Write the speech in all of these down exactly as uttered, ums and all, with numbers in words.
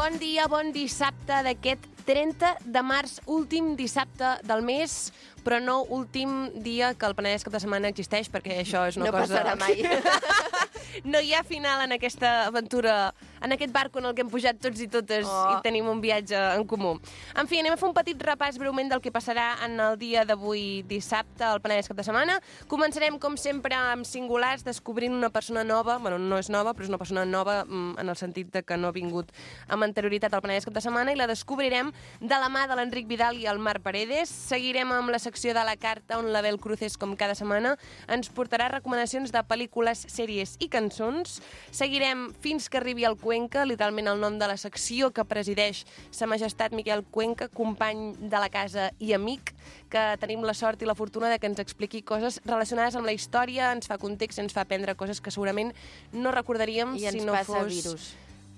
Bon dia, bon dissabte d'aquest trenta de març, últim dissabte del mes, però no últim dia que el Penedès cap de setmana existeix, perquè això és una no cosa... No passarà mai. No hi ha final en aquesta aventura, en aquest barco en el que hem pujat tots i totes oh. i tenim un viatge en comú. En fi, anem a fer un petit repàs breument del que passarà en el dia d'avui dissabte al Penedès cap de setmana. Començarem, com sempre, amb singulars, descobrint una persona nova. Bueno, no és nova, però és una persona nova en el sentit de que no ha vingut amb anterioritat al Penedès cap de setmana, i la descobrirem de la mà de l'Enric Vidal i el Marc Paredes. Seguirem amb la secció de la carta, on l'Abel Cruces, com cada setmana, ens portarà recomanacions de pel·lícules, sèries i cançons. Seguirem fins que arribi el Cuenca, literalment el nom de la secció que presideix Sa Majestat Miquel Cuenca, company de la casa i amic, que tenim la sort i la fortuna de que ens expliqui coses relacionades amb la història, ens fa context, ens fa aprendre coses que segurament no recordaríem I si no fos... I ens passa virus.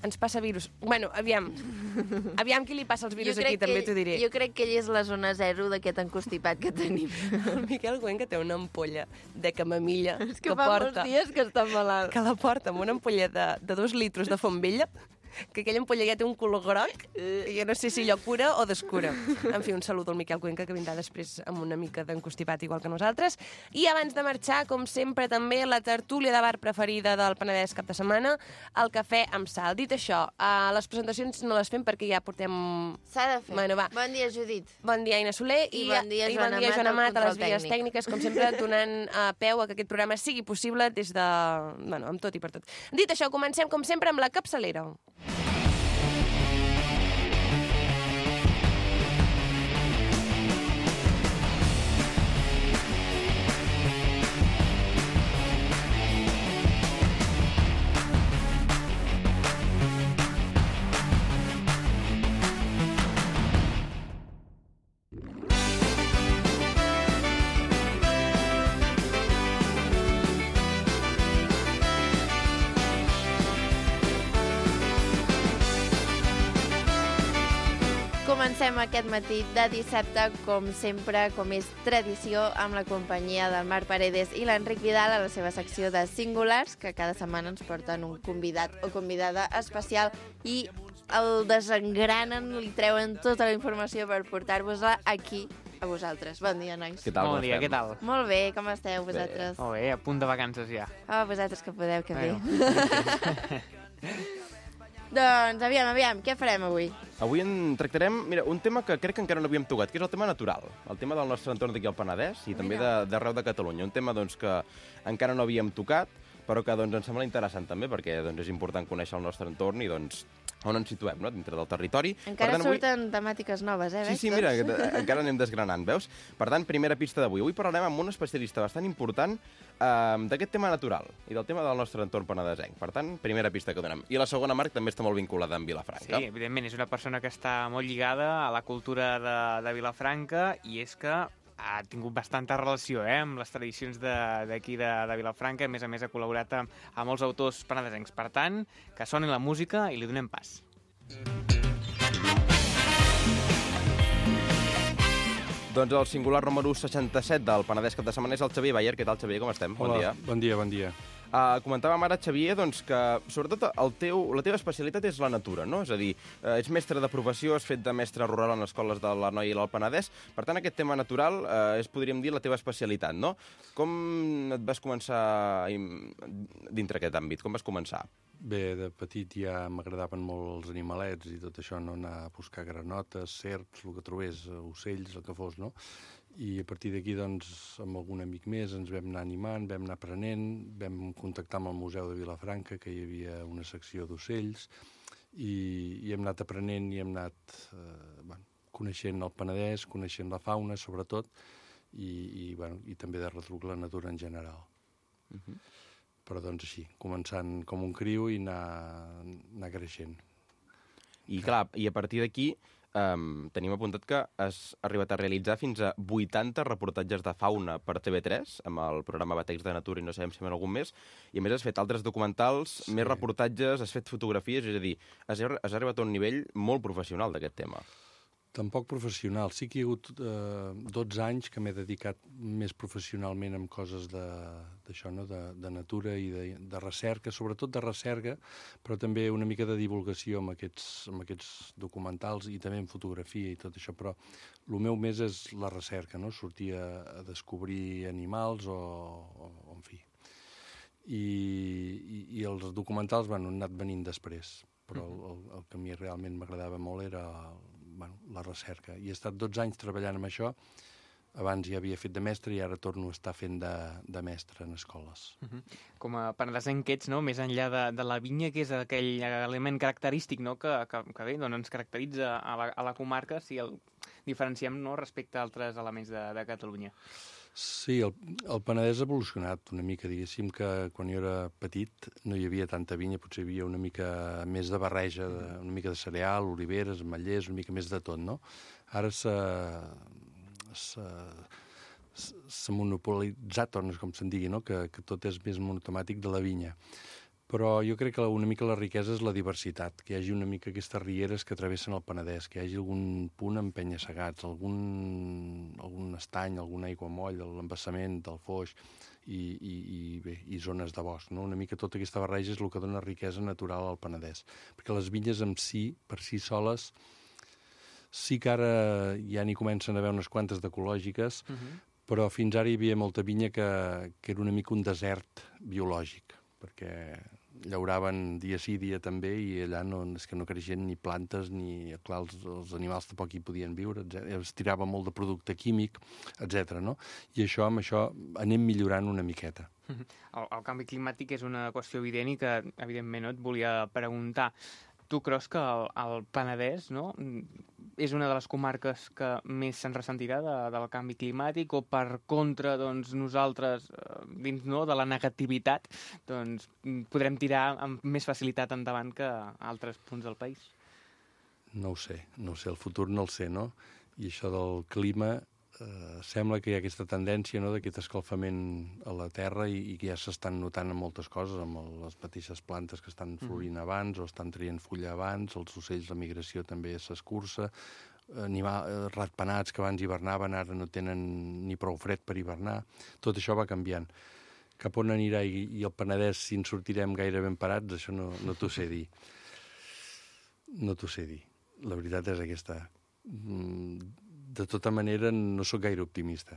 Ens passa virus. Bueno, aviam. Aviam qui li passa els virus aquí, també t'ho diré. Jo crec que ell és la zona zero d'aquest encostipat que tenim. El Miquel Cuenca té una ampolla de camamilla és que, que fa porta... molts dies que està malalt. Que la porta amb una ampolla de, de dos litros de font vella, que aquella ampolla ja té un color groc, i jo no sé si allò cura o descura. En fi, un salut al Miquel Cuenca, que vindrà després amb una mica d'encostipat igual que nosaltres. I abans de marxar, com sempre, també la tertúlia de bar preferida del Penedès cap de setmana, el cafè amb sal. Dit això, uh, les presentacions no les fem perquè ja portem... S'ha de fer. Bueno, va. Bon dia, Judit. Bon dia, Aina Soler. I, I bon dia, i Joana, bon dia, Joana Mat, Mat, a les vies tècnic. tècniques, com sempre, donant uh, peu a que aquest programa sigui possible des de... Bueno, amb tot i per tot. Dit això, comencem, com sempre, amb la capçalera. Comencem aquest matí de dissabte, com sempre, com és tradició, amb la companyia del Marc Paredes i l'Enric Vidal a la seva secció de Singulars, que cada setmana ens porten un convidat o convidada especial i el desengranen, li treuen tota la informació per portar-vos-la aquí a vosaltres. Bon dia, nois. Què tal? Bon dia, què tal? Molt bé, com esteu vosaltres? Bé. Molt bé, a punt de vacances ja. Oh, vosaltres que podeu, que bé. Bueno. Doncs, aviam, aviam, què farem avui? Avui en tractarem, mira, un tema que crec que encara no havíem tocat, que és el tema natural, el tema del nostre entorn d'aquí al Penedès i també d'arreu de, de Catalunya. Un tema doncs, que encara no havíem tocat, però que doncs, ens sembla interessant també, perquè doncs, és important conèixer el nostre entorn i doncs, on ens situem, no?, dintre del territori. Encara tant, surten avui... temàtiques noves, eh? Sí, sí, mira, encara anem desgranant, veus? Per tant, primera pista d'avui. Avui parlarem amb un especialista bastant important eh, d'aquest tema natural i del tema del nostre entorn penedesenc. Per tant, primera pista que donem. I la segona, Marc, també està molt vinculada amb Vilafranca. Sí, evidentment, és una persona que està molt lligada a la cultura de, de Vilafranca, i és que ha tingut bastanta relació eh, amb les tradicions d'aquí de, de, de Vilafranca. A més a més, ha col·laborat amb, amb molts autors penedesencs. Per tant, que soni la música i li donem pas. Doncs el singular número seixanta-set del Penedès cap de setmana és el Xavier Bayer. Què tal, Xavier? Com estem? Hola, bon dia. Bon dia, bon dia. Uh, comentàvem ara, Xavier, doncs, que sobretot el teu, la teva especialitat és la natura, no? És a dir, uh, ets mestre de professió, has fet de mestre rural en escoles de l'Anoia i l'Alt Penedès. Per tant, aquest tema natural uh, és, podríem dir, la teva especialitat, no? Com et vas començar dintre aquest àmbit? Com vas començar? Bé, de petit ja m'agradaven molt els animalets i tot això, no? Anar a buscar granotes, serps, el que trobés, ocells, el que fos, no? I a partir d'aquí, doncs, amb algun amic més ens vam anar animant, vam anar aprenent, vam contactar amb el Museu de Vilafranca, que hi havia una secció d'ocells, i, i hem anat aprenent i hem anat eh, bueno, coneixent el Penedès, coneixent la fauna, sobretot, i, i, bueno, i també de retruc la natura en general. Uh-huh. Però, doncs, així, començant com un criu i anar, anar creixent. I, clar, i a partir d'aquí um, tenim apuntat que has arribat a realitzar fins a vuitanta reportatges de fauna per T V tres, amb el programa Batecs de Natura i no sabem si en algun més, i a més has fet altres documentals, sí. més reportatges, has fet fotografies, és a dir, has, has arribat a un nivell molt professional d'aquest tema. Tampoc professional. Sí que hi ha hagut eh, dotze anys que m'he dedicat més professionalment amb coses d'això, no? de, de natura i de, de recerca, sobretot de recerca, però també una mica de divulgació amb aquests, amb aquests documentals i també en fotografia i tot això, però el meu més és la recerca, no? Sortir a, a descobrir animals o, o, o en fi. I, i, i els documentals bueno, han anat venint després, però el, el, el que a mi realment m'agradava molt era bueno, la recerca. I he estat dotze anys treballant amb això. Abans ja havia fet de mestre i ara torno a estar fent de, de mestre en escoles. Uh-huh. Com a penedesenc que ets, no? Més enllà de, de la vinya, que és aquell element característic, no? que, que, que bé, doncs ens caracteritza a la, a la comarca si el diferenciem, no? Respecte a altres elements de, de Catalunya. Sí, el, el Penedès ha evolucionat una mica, diguéssim que quan jo era petit no hi havia tanta vinya, potser hi havia una mica més de barreja, de, una mica de cereal, oliveres, ametllers, una mica més de tot, no? Ara s'ha s'ha monopolitzat, o no sé com se'n digui, no? Que, que tot és més monotemàtic de la vinya. Però jo crec que una mica la riquesa és la diversitat, que hi hagi una mica aquestes rieres que travessen el Penedès, que hi hagi algun punt amb penya-segats, algun, algun estany, algun aiguamoll, l'embassament del Foix i, i, i, bé, i zones de bosc. No? Una mica tota aquesta barreja és el que dona riquesa natural al Penedès. Perquè les vinyes en si, per si soles, sí que ara ja n'hi comencen a haver unes quantes d'ecològiques, uh-huh. però fins ara hi havia molta vinya que, que era una mica un desert biològic, perquè llauraven dia sí, dia també, i allà no, és que no creixien ni plantes, ni, clar, els, els animals tampoc hi podien viure, etcètera. Es tirava molt de producte químic, etcètera. No? I això, amb això, anem millorant una miqueta. El, el canvi climàtic és una qüestió evident i que, evidentment, no et volia preguntar. Tu creus que el, el Penedès, no?, és una de les comarques que més se'n ressentirà de, del canvi climàtic, o per contra, doncs, nosaltres, dins no, de la negativitat, doncs, podrem tirar amb més facilitat endavant que altres punts del país? No ho sé, no ho sé, el futur no el sé, no? I això del clima, eh, sembla que hi ha aquesta tendència, no?, d'aquest escalfament a la terra i, i que ja s'estan notant en moltes coses, amb el, les mateixes plantes que estan florint abans o estan traient fulla abans, els ocells, la migració també s'escurça, animals ratpenats que abans hivernaven ara no tenen ni prou fred per hivernar, tot això va canviant. Cap on anirà i, i el Penedès, si en sortirem gaire ben parats, això no, no t'ho sé dir. No t'ho sé dir. La veritat és aquesta. De tota manera, no sóc gaire optimista.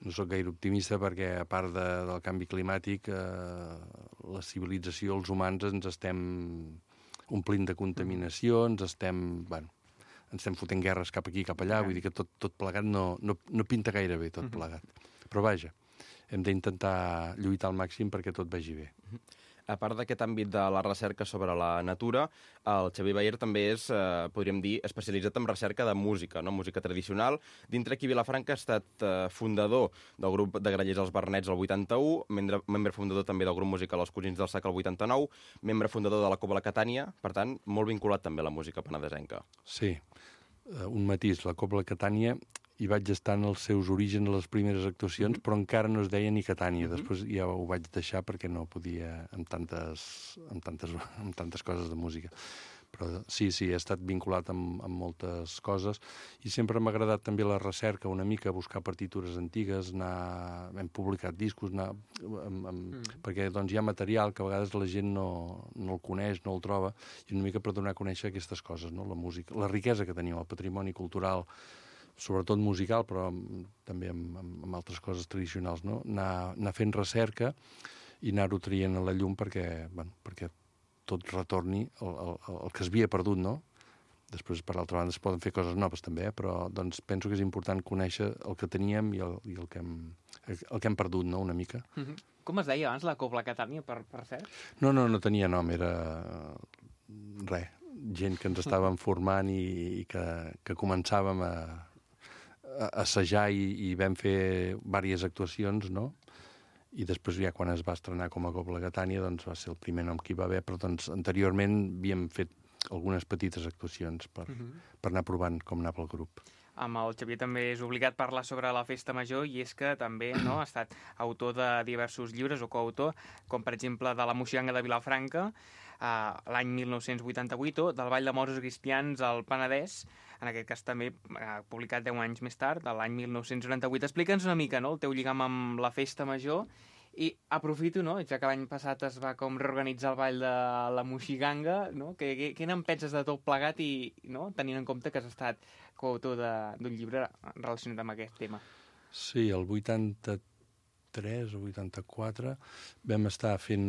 No sóc gaire optimista perquè, a part de, del canvi climàtic, eh, la civilització, els humans, ens estem omplint de contaminació, ens estem, bueno, ens estem fotent guerres cap aquí, cap allà, vull dir que tot, tot plegat no, no, no pinta gaire bé, tot plegat. Però vaja, hem d'intentar lluitar al màxim perquè tot vagi bé. A part d'aquest àmbit de la recerca sobre la natura, el Xavier Bayer també és, eh, podríem dir, especialitzat en recerca de música, no? Música tradicional. Dintre aquí Vilafranca ha estat eh, fundador del grup de grallers Els Bernets el vuitanta-u, membre, membre fundador també del grup musical Els Cosins del Sac el vuitanta-nou, membre fundador de la Cobla Catània, per tant, molt vinculat també a la música penedesenca. Sí, uh, un matís, la Cobla Catània hi vaig estar en els seus orígens, a les primeres actuacions, mm-hmm. però encara no es deia ni Catània. Mm-hmm. Després ja ho vaig deixar perquè no podia amb tantes, amb tantes, amb tantes coses de música. Però sí, sí, he estat vinculat amb, amb moltes coses i sempre m'ha agradat també la recerca, una mica buscar partitures antigues, anar, hem publicat discos, anar, amb, amb, mm. perquè doncs, hi ha material que a vegades la gent no, no el coneix, no el troba, i una mica per donar a conèixer aquestes coses, no? La música, la riquesa que tenim, el patrimoni cultural, sobretot musical, però també amb, amb, amb altres coses tradicionals, no? Anar, anar fent recerca i anar-ho traient a la llum perquè, bueno, perquè tot retorni el, el, el que es havia perdut, no? Després, per altra banda, es poden fer coses noves també, eh? Però doncs, penso que és important conèixer el que teníem i el, i el, que, hem, el que hem perdut, no?, una mica. Mm-hmm. Com es deia abans la Cobla Catània, per, per cert? No, no, no tenia nom, era res, gent que ens estàvem formant i, i que, que començàvem a assajar i, i vam fer diverses actuacions, no? I després ja quan es va estrenar com a Cobla Catània doncs va ser el primer nom que hi va haver, però doncs anteriorment havíem fet algunes petites actuacions per, uh-huh. per anar provant com anava el grup. Amb el Xavier també és obligat parlar sobre la Festa Major i és que també no, ha estat autor de diversos llibres o coautor, com per exemple de la Moixiganga de Vilafranca, Uh, l'any mil nou-cents vuitanta-vuit, o del Ball de Moros Cristians al Penedès, en aquest cas també eh, publicat deu anys més tard, a l'any mil nou-cents noranta-vuit. Explica'ns una mica, no?, el teu lligam amb la Festa Major, i aprofito, no?, ja que l'any passat es va com reorganitzar el ball de la Moixiganga, no?, què, què, què n'en penses de tot plegat i, no?, tenint en compte que has estat coautor d'un llibre relacionat amb aquest tema. Sí, el vuitanta-tres o vuitanta-quatre vam estar fent,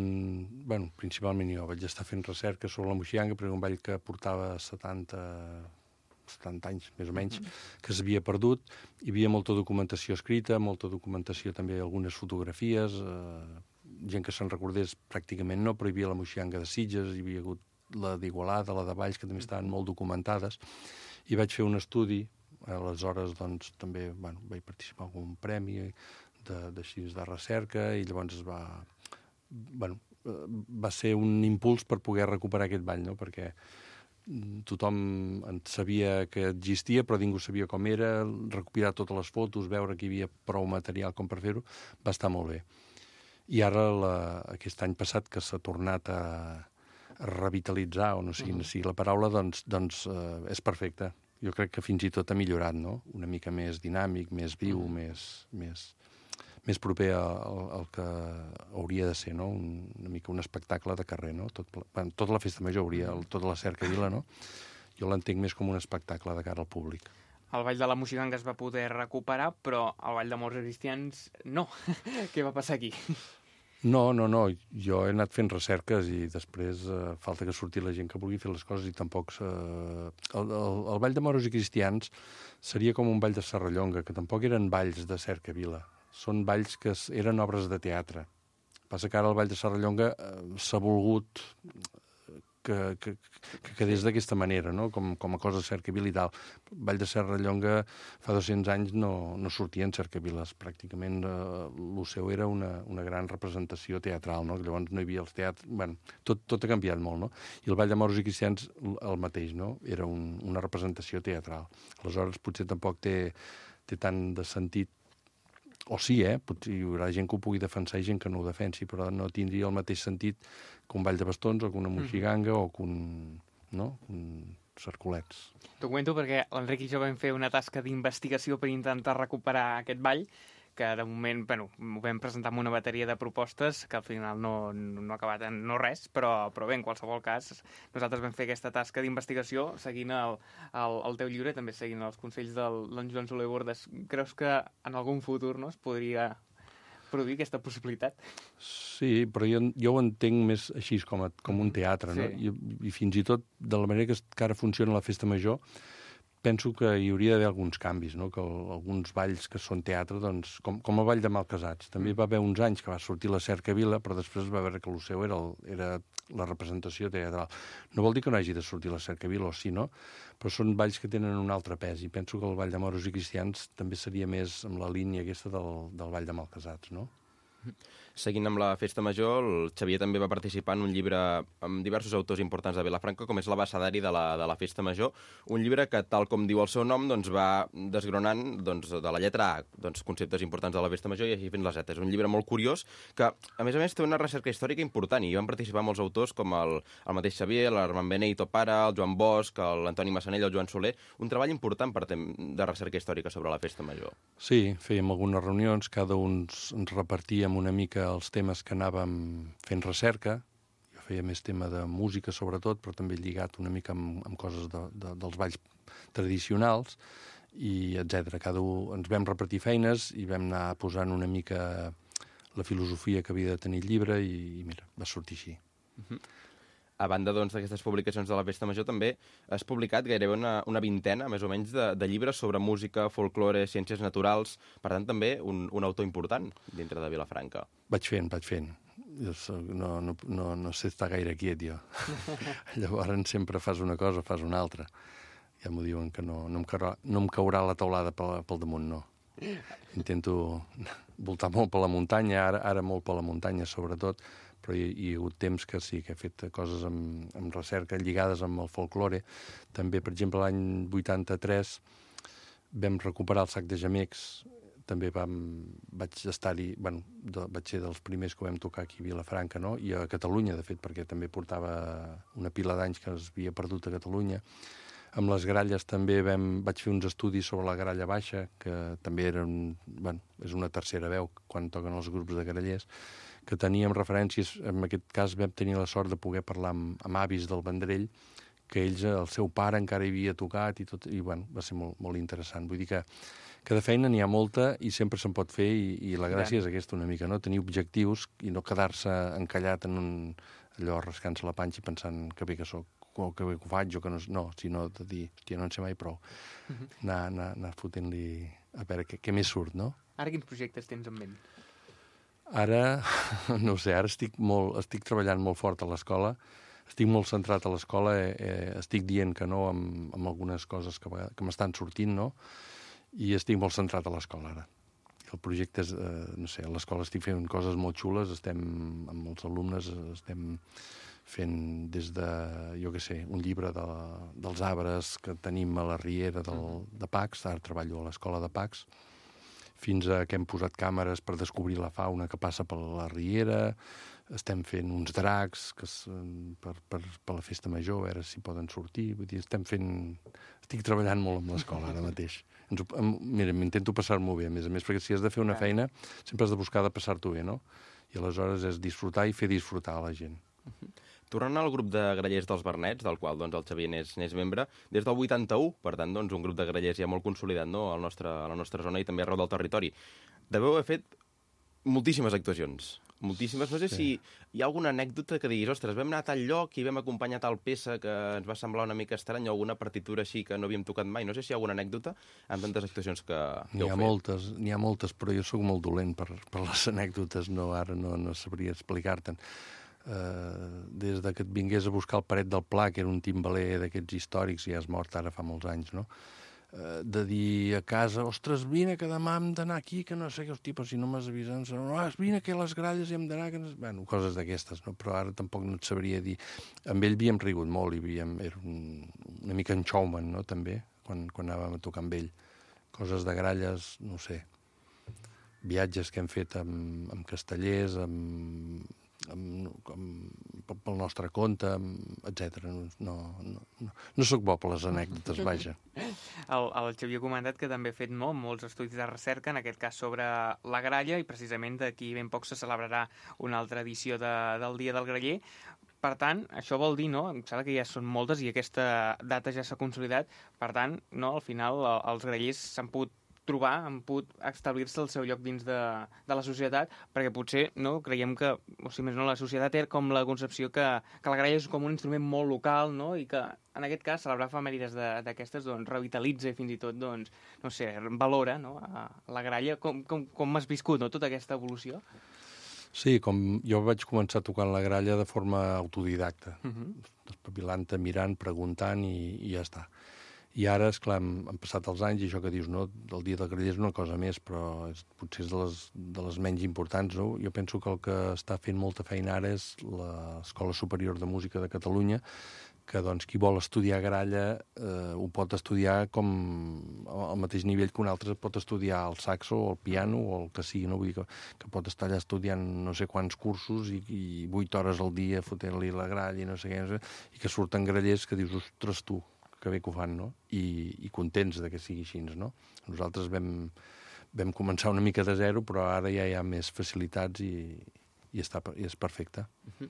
bueno, principalment jo vaig estar fent recerca sobre la Moixiganga, perquè un ball que portava setanta anys, més o menys, que s'havia perdut. Hi havia molta documentació escrita, molta documentació també, algunes fotografies, eh, gent que se'n recordés pràcticament no, però hi havia la Moixiganga de Sitges, hi havia hagut la d'Igualada, la de Valls, que també estaven molt documentades, i vaig fer un estudi. Aleshores, doncs, també bueno, vaig participar en un premi de, de, de recerca, i llavors es va... Bueno, va ser un impuls per poder recuperar aquest ball, no?, perquè tothom en sabia que existia, però ningú sabia com era, recopilar totes les fotos, veure que hi havia prou material com per fer-ho, va estar molt bé. I ara, la, aquest any passat, que s'ha tornat a, a revitalitzar, o no sé quina sigui la paraula, doncs, doncs eh, és perfecte. Jo crec que fins i tot ha millorat, no?, una mica més dinàmic, més viu, més, més, més proper al, al que hauria de ser, no?, un, una mica un espectacle de carrer, no?, Tot, bueno, tota la Festa Major hauria, tota la cercavila, no?, jo l'entenc més com un espectacle de cara al públic. El Ball de la Moixiganga es va poder recuperar, però el Ball de Morts i Cristians no. Què va passar aquí? No, no, no, jo he anat fent recerques i després eh, falta que surti la gent que vulgui fer les coses i tampoc... Eh, el, el, el Ball de Moros i Cristians seria com un ball de Serrallonga, que tampoc eren balls de cercavila. Són balls que eren obres de teatre. Passa que ara el Ball de Serrallonga eh, s'ha volgut que, que, que quedés d'aquesta manera, no?, com, com a cosa de cercavila i tal. El Ball de Serrallonga fa dos-cents anys no, no sortien cercaviles. Pràcticament eh, el seu era una, una gran representació teatral, no?, llavors no hi havia els teatres... Bueno, tot, tot ha canviat molt, no? I el Ball de Moros i Cristians el mateix, no?, era un, una representació teatral. Aleshores potser tampoc té, té tant de sentit. O sí, eh? Potser hi haurà gent que ho pugui defensar i gent que no ho defensi, però no tindria el mateix sentit que un ball de bastons o que una moixiganga o que un, no? un cercolets. T'ho comento perquè l'Enric i jo vam fer una tasca d'investigació per intentar recuperar aquest ball, que de moment, bueno, ho vam presentar amb una bateria de propostes que al final no, no ha acabat en no res, però, però bé, en qualsevol cas, nosaltres vam fer aquesta tasca d'investigació seguint el, el, el teu llibre, també seguint els consells del don Joan Soler Bordes. Creus que en algun futur, no, es podria produir aquesta possibilitat? Sí, però jo, jo ho entenc més així, com, a, com un teatre, no? Sí. I, I fins i tot, de la manera que, que ara funciona la Festa Major, penso que hi hauria d'haver alguns canvis, no? Que el, alguns balls que són teatre, doncs, com, com el Ball de Malcasats. També hi va haver uns anys que va sortir la cercavila, però després va veure que el seu era, el, era la representació teatral. No vol dir que no hagi de sortir la cercavila, o sí, no? Però són balls que tenen un altre pes, i penso que el Ball de Moros i Cristians també seria més amb la línia aquesta del, del Ball de Malcasats, no? Seguint amb la Festa Major, el Xavier també va participar en un llibre amb diversos autors importants de Vilafranca, com és l'Abecedari de, la, de la Festa Major, un llibre que, tal com diu el seu nom, doncs, va desgronant doncs, de la lletra A doncs, conceptes importants de la Festa Major i així fent les zetes. Un llibre molt curiós que, a més a més, té una recerca històrica important i hi van participar molts autors com el, el mateix Xavier, l'Armand Beneito Pare, el Joan Bosch, l'Antoni Massanell, el Joan Soler, un treball important per tem de recerca històrica sobre la Festa Major. Sí, fèiem algunes reunions, cada un ens repartíem una mica els temes que anàvem fent recerca. Jo feia més tema de música, sobretot, però també lligat una mica amb, amb coses de, de, dels balls tradicionals, i etcètera. Cada un ens vam repartir feines i vam anar posant una mica la filosofia que havia de tenir el llibre i, i mira, va sortir així. Uh-huh. A banda doncs, d'aquestes publicacions de la Festa Major, també has publicat gairebé una, una vintena, més o menys, de, de llibres sobre música, folklore, ciències naturals. Per tant, també un, un autor important dintre de Vilafranca. Vaig fent, vaig fent. Jo soc, no, no, no, no sé estar gaire quiet, jo. Llavors sempre fas una cosa, fas una altra. Ja m'ho diuen que no, no, em caurà, no em caurà la teulada pel, pel damunt, no. Intento voltar molt per la muntanya, ara, ara molt per la muntanya, sobretot, però hi, hi ha hagut temps que sí, que he fet coses amb, amb recerca lligades amb el folklore. També, per exemple, l'any vuitanta-tres vam recuperar el sac de gemecs. També vam, vaig estar-hi, bueno, de, vaig ser dels primers que ho vam tocar aquí a Vilafranca, no? I a Catalunya, de fet, perquè també portava una pila d'anys que es havia perdut a Catalunya. Amb les gralles també vam, vaig fer uns estudis sobre la gralla baixa, que també era un, bueno, és una tercera veu quan toquen els grups de grallers, que teníem referències, en aquest cas vam tenir la sort de poder parlar amb, amb avis del Vendrell, que ells, el seu pare encara hi havia tocat i tot, i bueno, va ser molt, molt interessant. Vull dir que, que de feina n'hi ha molta i sempre se'n pot fer i, i la gràcia és aquesta una mica, no? Tenir objectius i no quedar-se encallat en un allò rascant-se la panxa i pensant que bé que sóc, o que bé que ho faig, o que no... No, sinó de dir, hòstia, no en sé mai prou. Uh -huh. anar, anar, anar fotent-li a veure què, què més surt, no? Ara quins projectes tens en ment? Ara, no ho sé, ara estic, molt, estic treballant molt fort a l'escola, estic molt centrat a l'escola, eh, eh, estic dient que no amb, amb algunes coses que, que m'estan sortint, no? I estic molt centrat a l'escola ara. El projecte és, eh, no sé, a l'escola estic fent coses molt xules, estem amb els alumnes, estem fent des de, jo què sé, un llibre de, dels arbres que tenim a la riera del, de Pacs, ara treballo a l'escola de Pacs, fins a que hem posat càmeres per descobrir la fauna que passa per la riera, estem fent uns dracs que es, per, per, per la festa major, a veure si poden sortir, vull dir, estem fent... Estic treballant molt amb l'escola ara mateix. Ens ho, mira, m'intento passar-m'ho bé, a més a més, perquè si has de fer una feina sempre has de buscar de passar-t'ho bé, no? I aleshores és disfrutar i fer disfrutar a la gent. Uh-huh. Tornant al grup de grallers dels Bernets, del qual doncs, el Xavier n'és, n'és membre, des del vuitanta-u, per tant, doncs, un grup de grallers ja molt consolidat, no?, al nostre, a la nostra zona i també arreu del territori. Deveu haver fet moltíssimes actuacions. Moltíssimes. No sé sí. si hi ha alguna anècdota que diguis, ostres, vam anar a tal lloc i vam acompanyar tal peça que ens va semblar una mica estrany, o alguna partitura així que no havíem tocat mai. No sé si hi ha alguna anècdota amb tantes actuacions que, que n'hi ha heu fet. Moltes, n'hi ha moltes, però jo sóc molt dolent per, per les anècdotes, no, ara no, no sabria explicar-te'n. Uh, des de que et vingués a buscar el Paret del Pla, que era un timbaler d'aquests històrics, ja és mort ara fa molts anys, no? Uh, de dir a casa, ostres, vine, que demà hem d'anar aquí, que no sé què, hosti, però si no m'has avisat, no, vine, que a les gralles hi hem d'anar, que no... Bueno, coses d'aquestes, no? Però ara tampoc no et sabria dir. Amb ell havíem rigut molt, i havíem... era un, una mica en showman, no?, també, quan, quan anàvem a tocar amb ell. Coses de gralles, no sé, viatges que hem fet amb, amb castellers, amb... Amb, amb, pel nostre compte, etcètera. No, no, no, no sóc bo per les anècdotes, vaja. El, el Xavier ha comentat que també ha fet no, molts estudis de recerca, en aquest cas sobre la gralla, i precisament d'aquí ben poc se celebrarà una altra edició de, del Dia del Graller. Per tant, això vol dir, no?, em sembla que ja són moltes i aquesta data ja s'ha consolidat, per tant, no, al final els grallers s'han pogut trobar, han pogut establir-se el seu lloc dins de, de la societat, perquè potser no creiem que, o sigui, més no, la societat té com la concepció que, que la gralla és com un instrument molt local, no?, i que en aquest cas celebrar efemèrides d'aquestes doncs, revitalitza i fins i tot, doncs, no sé, valora, no?, a la gralla. Com, com, com has viscut, no?, tota aquesta evolució? Sí, com jo vaig començar tocant la gralla de forma autodidacta, uh-huh. espavilant-te, mirant, preguntant i, i ja està. I ara, esclar, han, han passat els anys i això que dius, no, el Dia del Graller és una cosa més, però és, potser és de les, de les menys importants, no? Jo penso que el que està fent molta feina ara és l'Escola Superior de Música de Catalunya, que doncs qui vol estudiar gralla eh, ho pot estudiar com al mateix nivell que un altre pot estudiar el saxo o el piano o el que sigui, no? Vull dir que, que pot estar allà estudiant no sé quants cursos i, i vuit hores al dia fotent-li la gralla i no sé què, no sé, i que surten grallers que dius, ostres, tu, que bé que ho fan, no? I, i contents de que sigui així, no? Nosaltres vam, vam començar una mica de zero, però ara ja hi ha més facilitats i, i, està, i és perfecte. Uh-huh.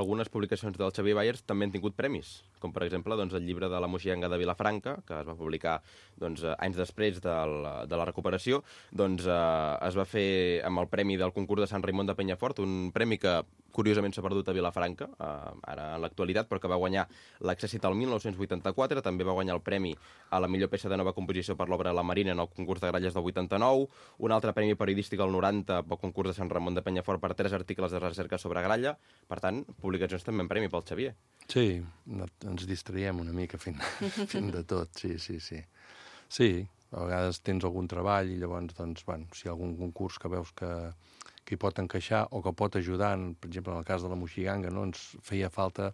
Algunes publicacions del Xavier Bayers també han tingut premis, com per exemple doncs, el llibre de la Moixiganga de Vilafranca, que es va publicar doncs, anys després del, de la recuperació, doncs, eh, es va fer amb el premi del concurs de Sant Raimon de Penyafort, un premi que curiosament s'ha perdut a Vilafranca, eh, ara en l'actualitat, però que va guanyar l'Accèssit el mil nou-cents vuitanta-quatre, també va guanyar el premi a la millor peça de nova composició per l'obra La Marina en el concurs de gralles del vuitanta-nou, un altre premi periodístic al noranta pel concurs de Sant Ramon de Penyafort per tres articles de recerca sobre gralla. Per tant, publicacions també en premi pel Xavier. Sí, ens distraiem una mica fent, fent de tot, sí, sí, sí. Sí, a vegades tens algun treball i llavors, doncs, bueno, si hi ha algun concurs que veus que, que hi pot encaixar o que pot ajudar, per exemple, en el cas de la Moixiganga, no? Ens feia falta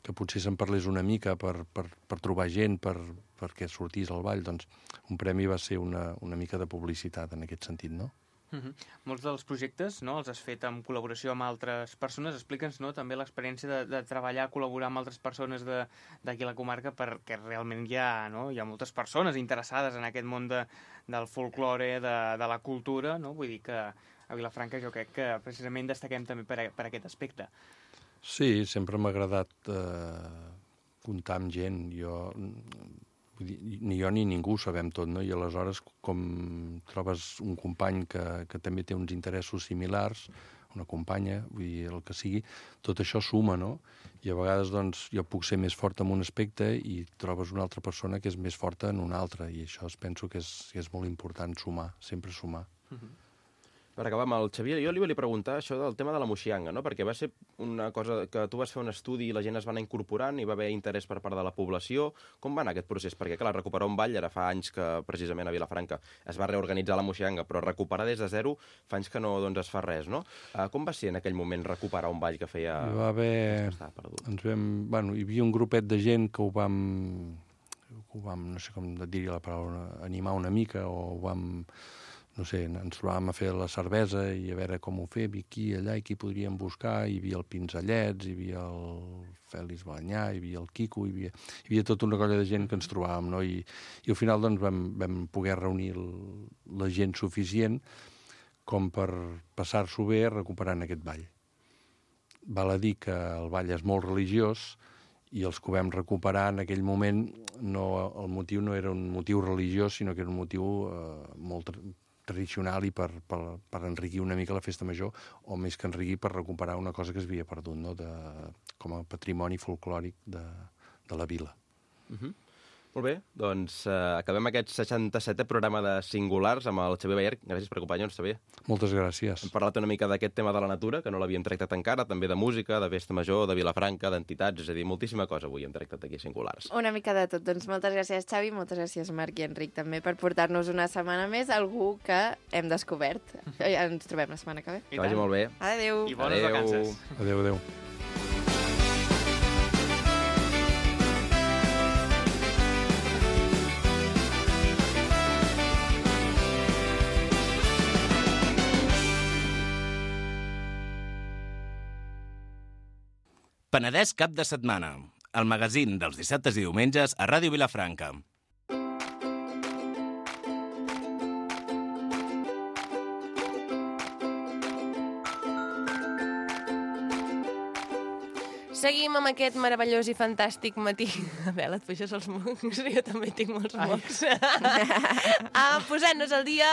que potser se'n parlés una mica per, per, per trobar gent, per, perquè sortís al ball, doncs un premi va ser una, una mica de publicitat en aquest sentit, no? Uh-huh. Molts dels projectes, no?, els has fet en col·laboració amb altres persones. Explica'ns, no?, també l'experiència de, de treballar, col·laborar amb altres persones d'aquí a la comarca, perquè realment hi ha, no?, hi ha moltes persones interessades en aquest món de, del folklore, de, de la cultura, no? Vull dir que a Vilafranca jo crec que precisament destaquem també per, per aquest aspecte. Sí, sempre m'ha agradat eh, comptar amb gent. Jo... ni jo ni ningú sabem tot, no? I aleshores, com trobes un company que, que també té uns interessos similars, una companya, vull dir, el que sigui, tot això suma, no? I a vegades, doncs, jo puc ser més fort en un aspecte i trobes una altra persona que és més forta en un altre, i això es penso que és, que és molt important, sumar, sempre sumar. Uh-huh. Per acabar amb el Xavier, jo li volia preguntar això del tema de la moxianga, no? Perquè va ser una cosa que tu vas fer un estudi i la gent es va anar incorporant i va haver interès per part de la població. Com va anar aquest procés? Perquè, clar, recuperar un ball, ara fa anys que precisament a Vilafranca es va reorganitzar la moxianga, però recuperar des de zero fa anys que no doncs, es fa res, no? Uh, com va ser en aquell moment recuperar un ball que feia... Hi va haver... Ens vam... Bueno, hi havia un grupet de gent que ho vam... Que ho vam, no sé com dir la paraula, animar una mica, o ho vam... no sé, ens trobàvem a fer la cervesa i a veure com ho fem, i aquí, allà, i qui podríem buscar. Hi havia el Pinzellets, hi havia el Fèlix Balanyà, hi havia el Quico, hi havia, hi havia tota una colla de gent que ens trobàvem, no? I, i al final doncs, vam, vam poder reunir el, la gent suficient com per passar-s'ho bé recuperant aquest ball. Val a dir que el ball és molt religiós, i els que ho vam recuperar en aquell moment, no, el motiu no era un motiu religiós, sinó que era un motiu eh, molt tradicional i per, per, per enriquir una mica la festa major, o més que enriquir, per recuperar una cosa que es havia perdut, no? De, com a patrimoni folclòric de, de la vila. Uh-huh. Molt bé, doncs eh, acabem aquest seixanta-setè programa de Singulars amb el Xavier Bayer. Gràcies per acompanyar-nos, Xavier. Moltes gràcies. Hem parlat una mica d'aquest tema de la natura, que no l'havíem tractat encara, també de música, de festa major, de Vilafranca, d'entitats, és a dir, moltíssima cosa avui hem tractat aquí a Singulars. Una mica de tot. Doncs moltes gràcies, Xavi, moltes gràcies, Marc i Enric, també per portar-nos una setmana més algú que hem descobert. Ens trobem la setmana que ve. Que vagi molt bé. Adéu. I bones Adéu. vacances. Adéu, adéu. Penedès cap de setmana, el magazín dels dissabtes i diumenges a Ràdio Vilafranca. Seguim amb aquest meravellós i fantàstic matí. A veure, et puixes els mocs? Jo també tinc molts mocs. uh, Posant-nos al dia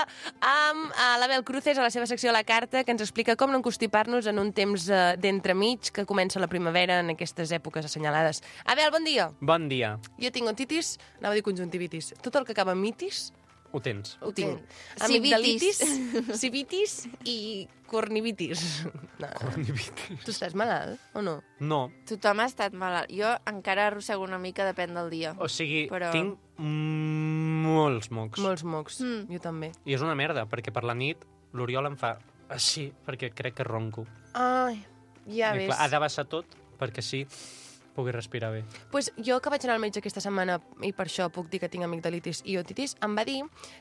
amb uh, l'Abel Cruces a la seva secció La Carta, que ens explica com no encostipar-nos en un temps uh, d'entremig que comença la primavera en aquestes èpoques assenyalades. Abel, bon dia. Bon dia. Jo tinc otitis, anava a dir conjuntivitis. Tot el que acaba en mitis, Ho tens. ho tinc. Civitis. Amigdalitis, civitis i cornivitis. No. Cornivitis. Tu estàs malalt o no? No. Tothom ha estat malalt. Jo encara arrossego una mica, depèn del dia. O sigui, Però- tinc mm, molts mocs. Molts mocs, Mm. jo també. I és una merda, perquè per la nit l'Oriol em fa així, perquè crec que ronco. Ai, ja I ves. clar, ha de baixar tot, perquè sí, pugui respirar bé. Pues jo que vaig anar al metge aquesta setmana i per això puc dir que tinc amigdalitis i otitis, em va dir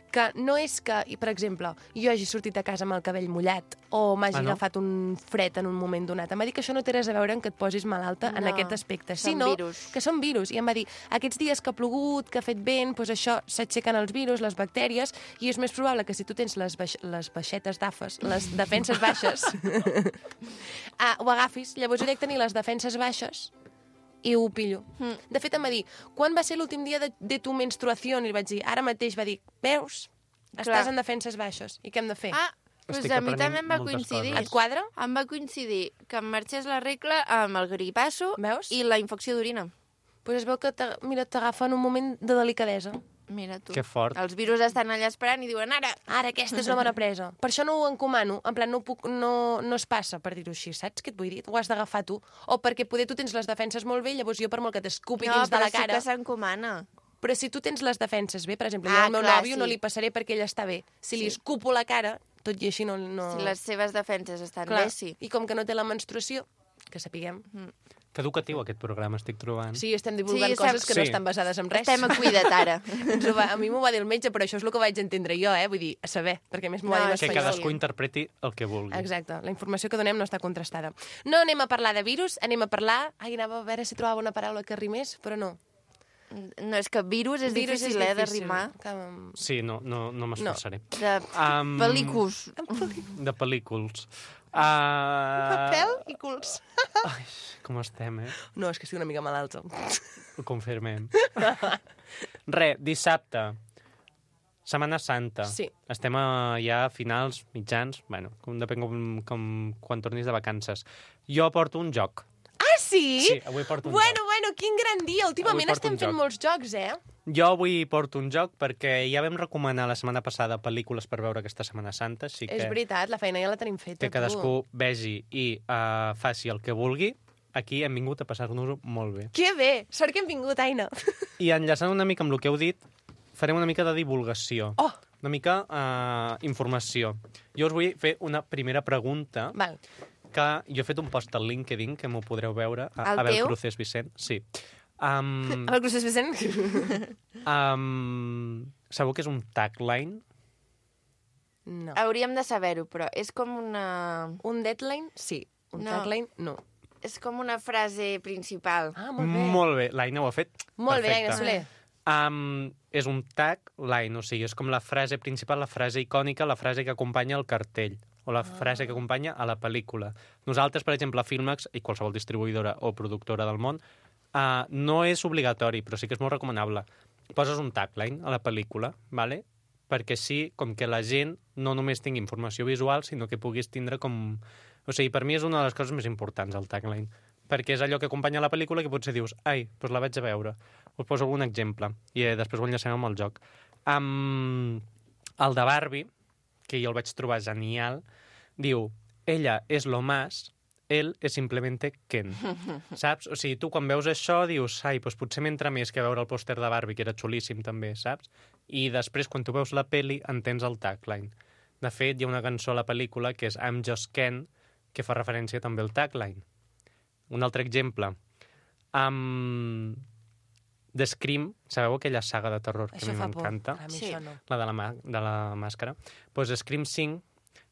que no és que, i per exemple, jo hagi sortit a casa amb el cabell mullat o m'hagi Ah, no? agafat un fred en un moment donat. Em va dir que això no té res a veure amb que et posis malalta en No, aquest aspecte, són sinó virus. que són virus. I em va dir, aquests dies que ha plogut, que ha fet vent, doncs això s'aixequen els virus, les bactèries, i és més probable que si tu tens les, baix les baixetes d'afes, les defenses baixes, ah, ho agafis. Llavors jo he de tenir les defenses baixes i ho pillo. Mm. De fet, em va dir, quan va ser l'últim dia de, de tu menstruació? I li vaig dir, ara mateix. Va dir, veus? Estàs Clar. en defenses baixes. I què hem de fer? Ah, doncs Estic a mi aprenent també em va moltes coincidir. coses. Et quadra? Em va coincidir que em marxés la regla amb el gripasso Veus? i la infecció d'orina. Pues es veu que, t'ag- mira, t'agafa en un moment de delicadesa. Mira tu. Que fort. Els virus estan allà esperant i diuen, ara, Ara, aquesta és una bona presa. Per això no ho encomano. En plan, no, puc, no, no es passa, per dir-ho així. Saps què et vull dir? Ho has d'agafar tu. O perquè poder tu tens les defenses molt bé, llavors jo per molt que t'escupi no, dins de però la cara... sí que s'encomana. Però si tu tens les defenses bé, per exemple, Ah, jo al meu clar, nòvio sí. no li passaré perquè ell està bé. Si li Sí. escupo la cara, tot i així no... no... Si les seves defenses estan Clar, bé, sí. I com que no té la menstruació, que sapiguem... Mm. Que educatiu, aquest programa, estic trobant. Sí, estem divulgant Sí, coses sap- que no sí. estan basades en res. Estem a cuida't ara. Ens ho va, a mi m'ho va dir el metge, però això és el que vaig entendre jo, eh? Vull dir, a saber, perquè a més m'ho va No, dir en és Que espanyol. cadascú interpreti el que vulgui. Exacte, la informació que donem no està contrastada. No anem a parlar de virus, anem a parlar... Ai, anava a veure si trobava una paraula que rimés, però no. No, és que virus és Virus difícil, eh, de difícil. rimar. Que... Sí, no, no, no m'esforçaré. De Um, pel·lículs. De pel·lículs. Uh... Papel i culs. Ai, com estem, eh? No, és que estic una mica malalta. Ho confirmem. Re, dissabte, Setmana Santa. Sí. Estem a, ja a finals, mitjans, bueno, com, depèn com, com quan tornis de vacances. Jo porto un joc. Ah, sí? Sí, avui porto un bueno, joc. bueno, quin gran dia. Últimament Avui porto estem un fent joc. molts jocs, eh? Jo avui porto un joc perquè ja vam recomanar la setmana passada pel·lícules per veure aquesta Setmana Santa, així que És veritat, la feina ja la tenim feta. que cadascú vegi i uh, faci el que vulgui. Aquí hem vingut a passar-nos-ho molt bé. Que bé! Sort que hem vingut, Aina. I enllaçant una mica amb el que heu dit, farem una mica de divulgació. Oh! Una mica uh, informació. Jo us vull fer una primera pregunta, Val. que jo he fet un post al LinkedIn, que m'ho podreu veure. A, El Abel teu? Cruces Vicent, sí. Um, Amb el Cruces Vicent? um, sabeu que és un tagline? No. Hauríem de saber-ho, però és com una... Un deadline? Sí. Un No. tagline? No. És com una frase principal. Ah, molt bé. Molt bé, l'Aina ho ha fet. Molt bé, perfecte. Aina Soler. Um, és un tagline, o sigui, és com la frase principal, la frase icònica, la frase que acompanya el cartell, o la frase que acompanya a la pel·lícula. Nosaltres, per exemple, a Filmax, i qualsevol distribuïdora o productora del món, uh, no és obligatori, però sí que és molt recomanable. Poses un tagline a la pel·lícula, ¿vale? Perquè així, com que la gent no només tingui informació visual, sinó que puguis tindre com... O sigui, per mi és una de les coses més importants, el tagline, perquè és allò que acompanya la pel·lícula que potser dius, ai, doncs la vaig a veure. Us poso algun exemple, i eh, després ho enllacem amb el joc. Um, el de Barbie, que jo el vaig trobar genial, diu, ella és lo más, él es simplemente Ken. Saps? O sigui, tu quan veus això dius, ai, doncs potser m'entra més que veure el pòster de Barbie, que era xulíssim també, saps? I després, quan tu veus la peli, entens el tagline. De fet, hi ha una cançó a la pel·lícula que és I'm Just Ken, que fa referència també al tagline. Un altre exemple. Um, The Scream, sabeu aquella saga de terror que Això a mi fa por. m'encanta? A mi Sí. això no. La de la, mà- de la màscara. Pues Scream cinc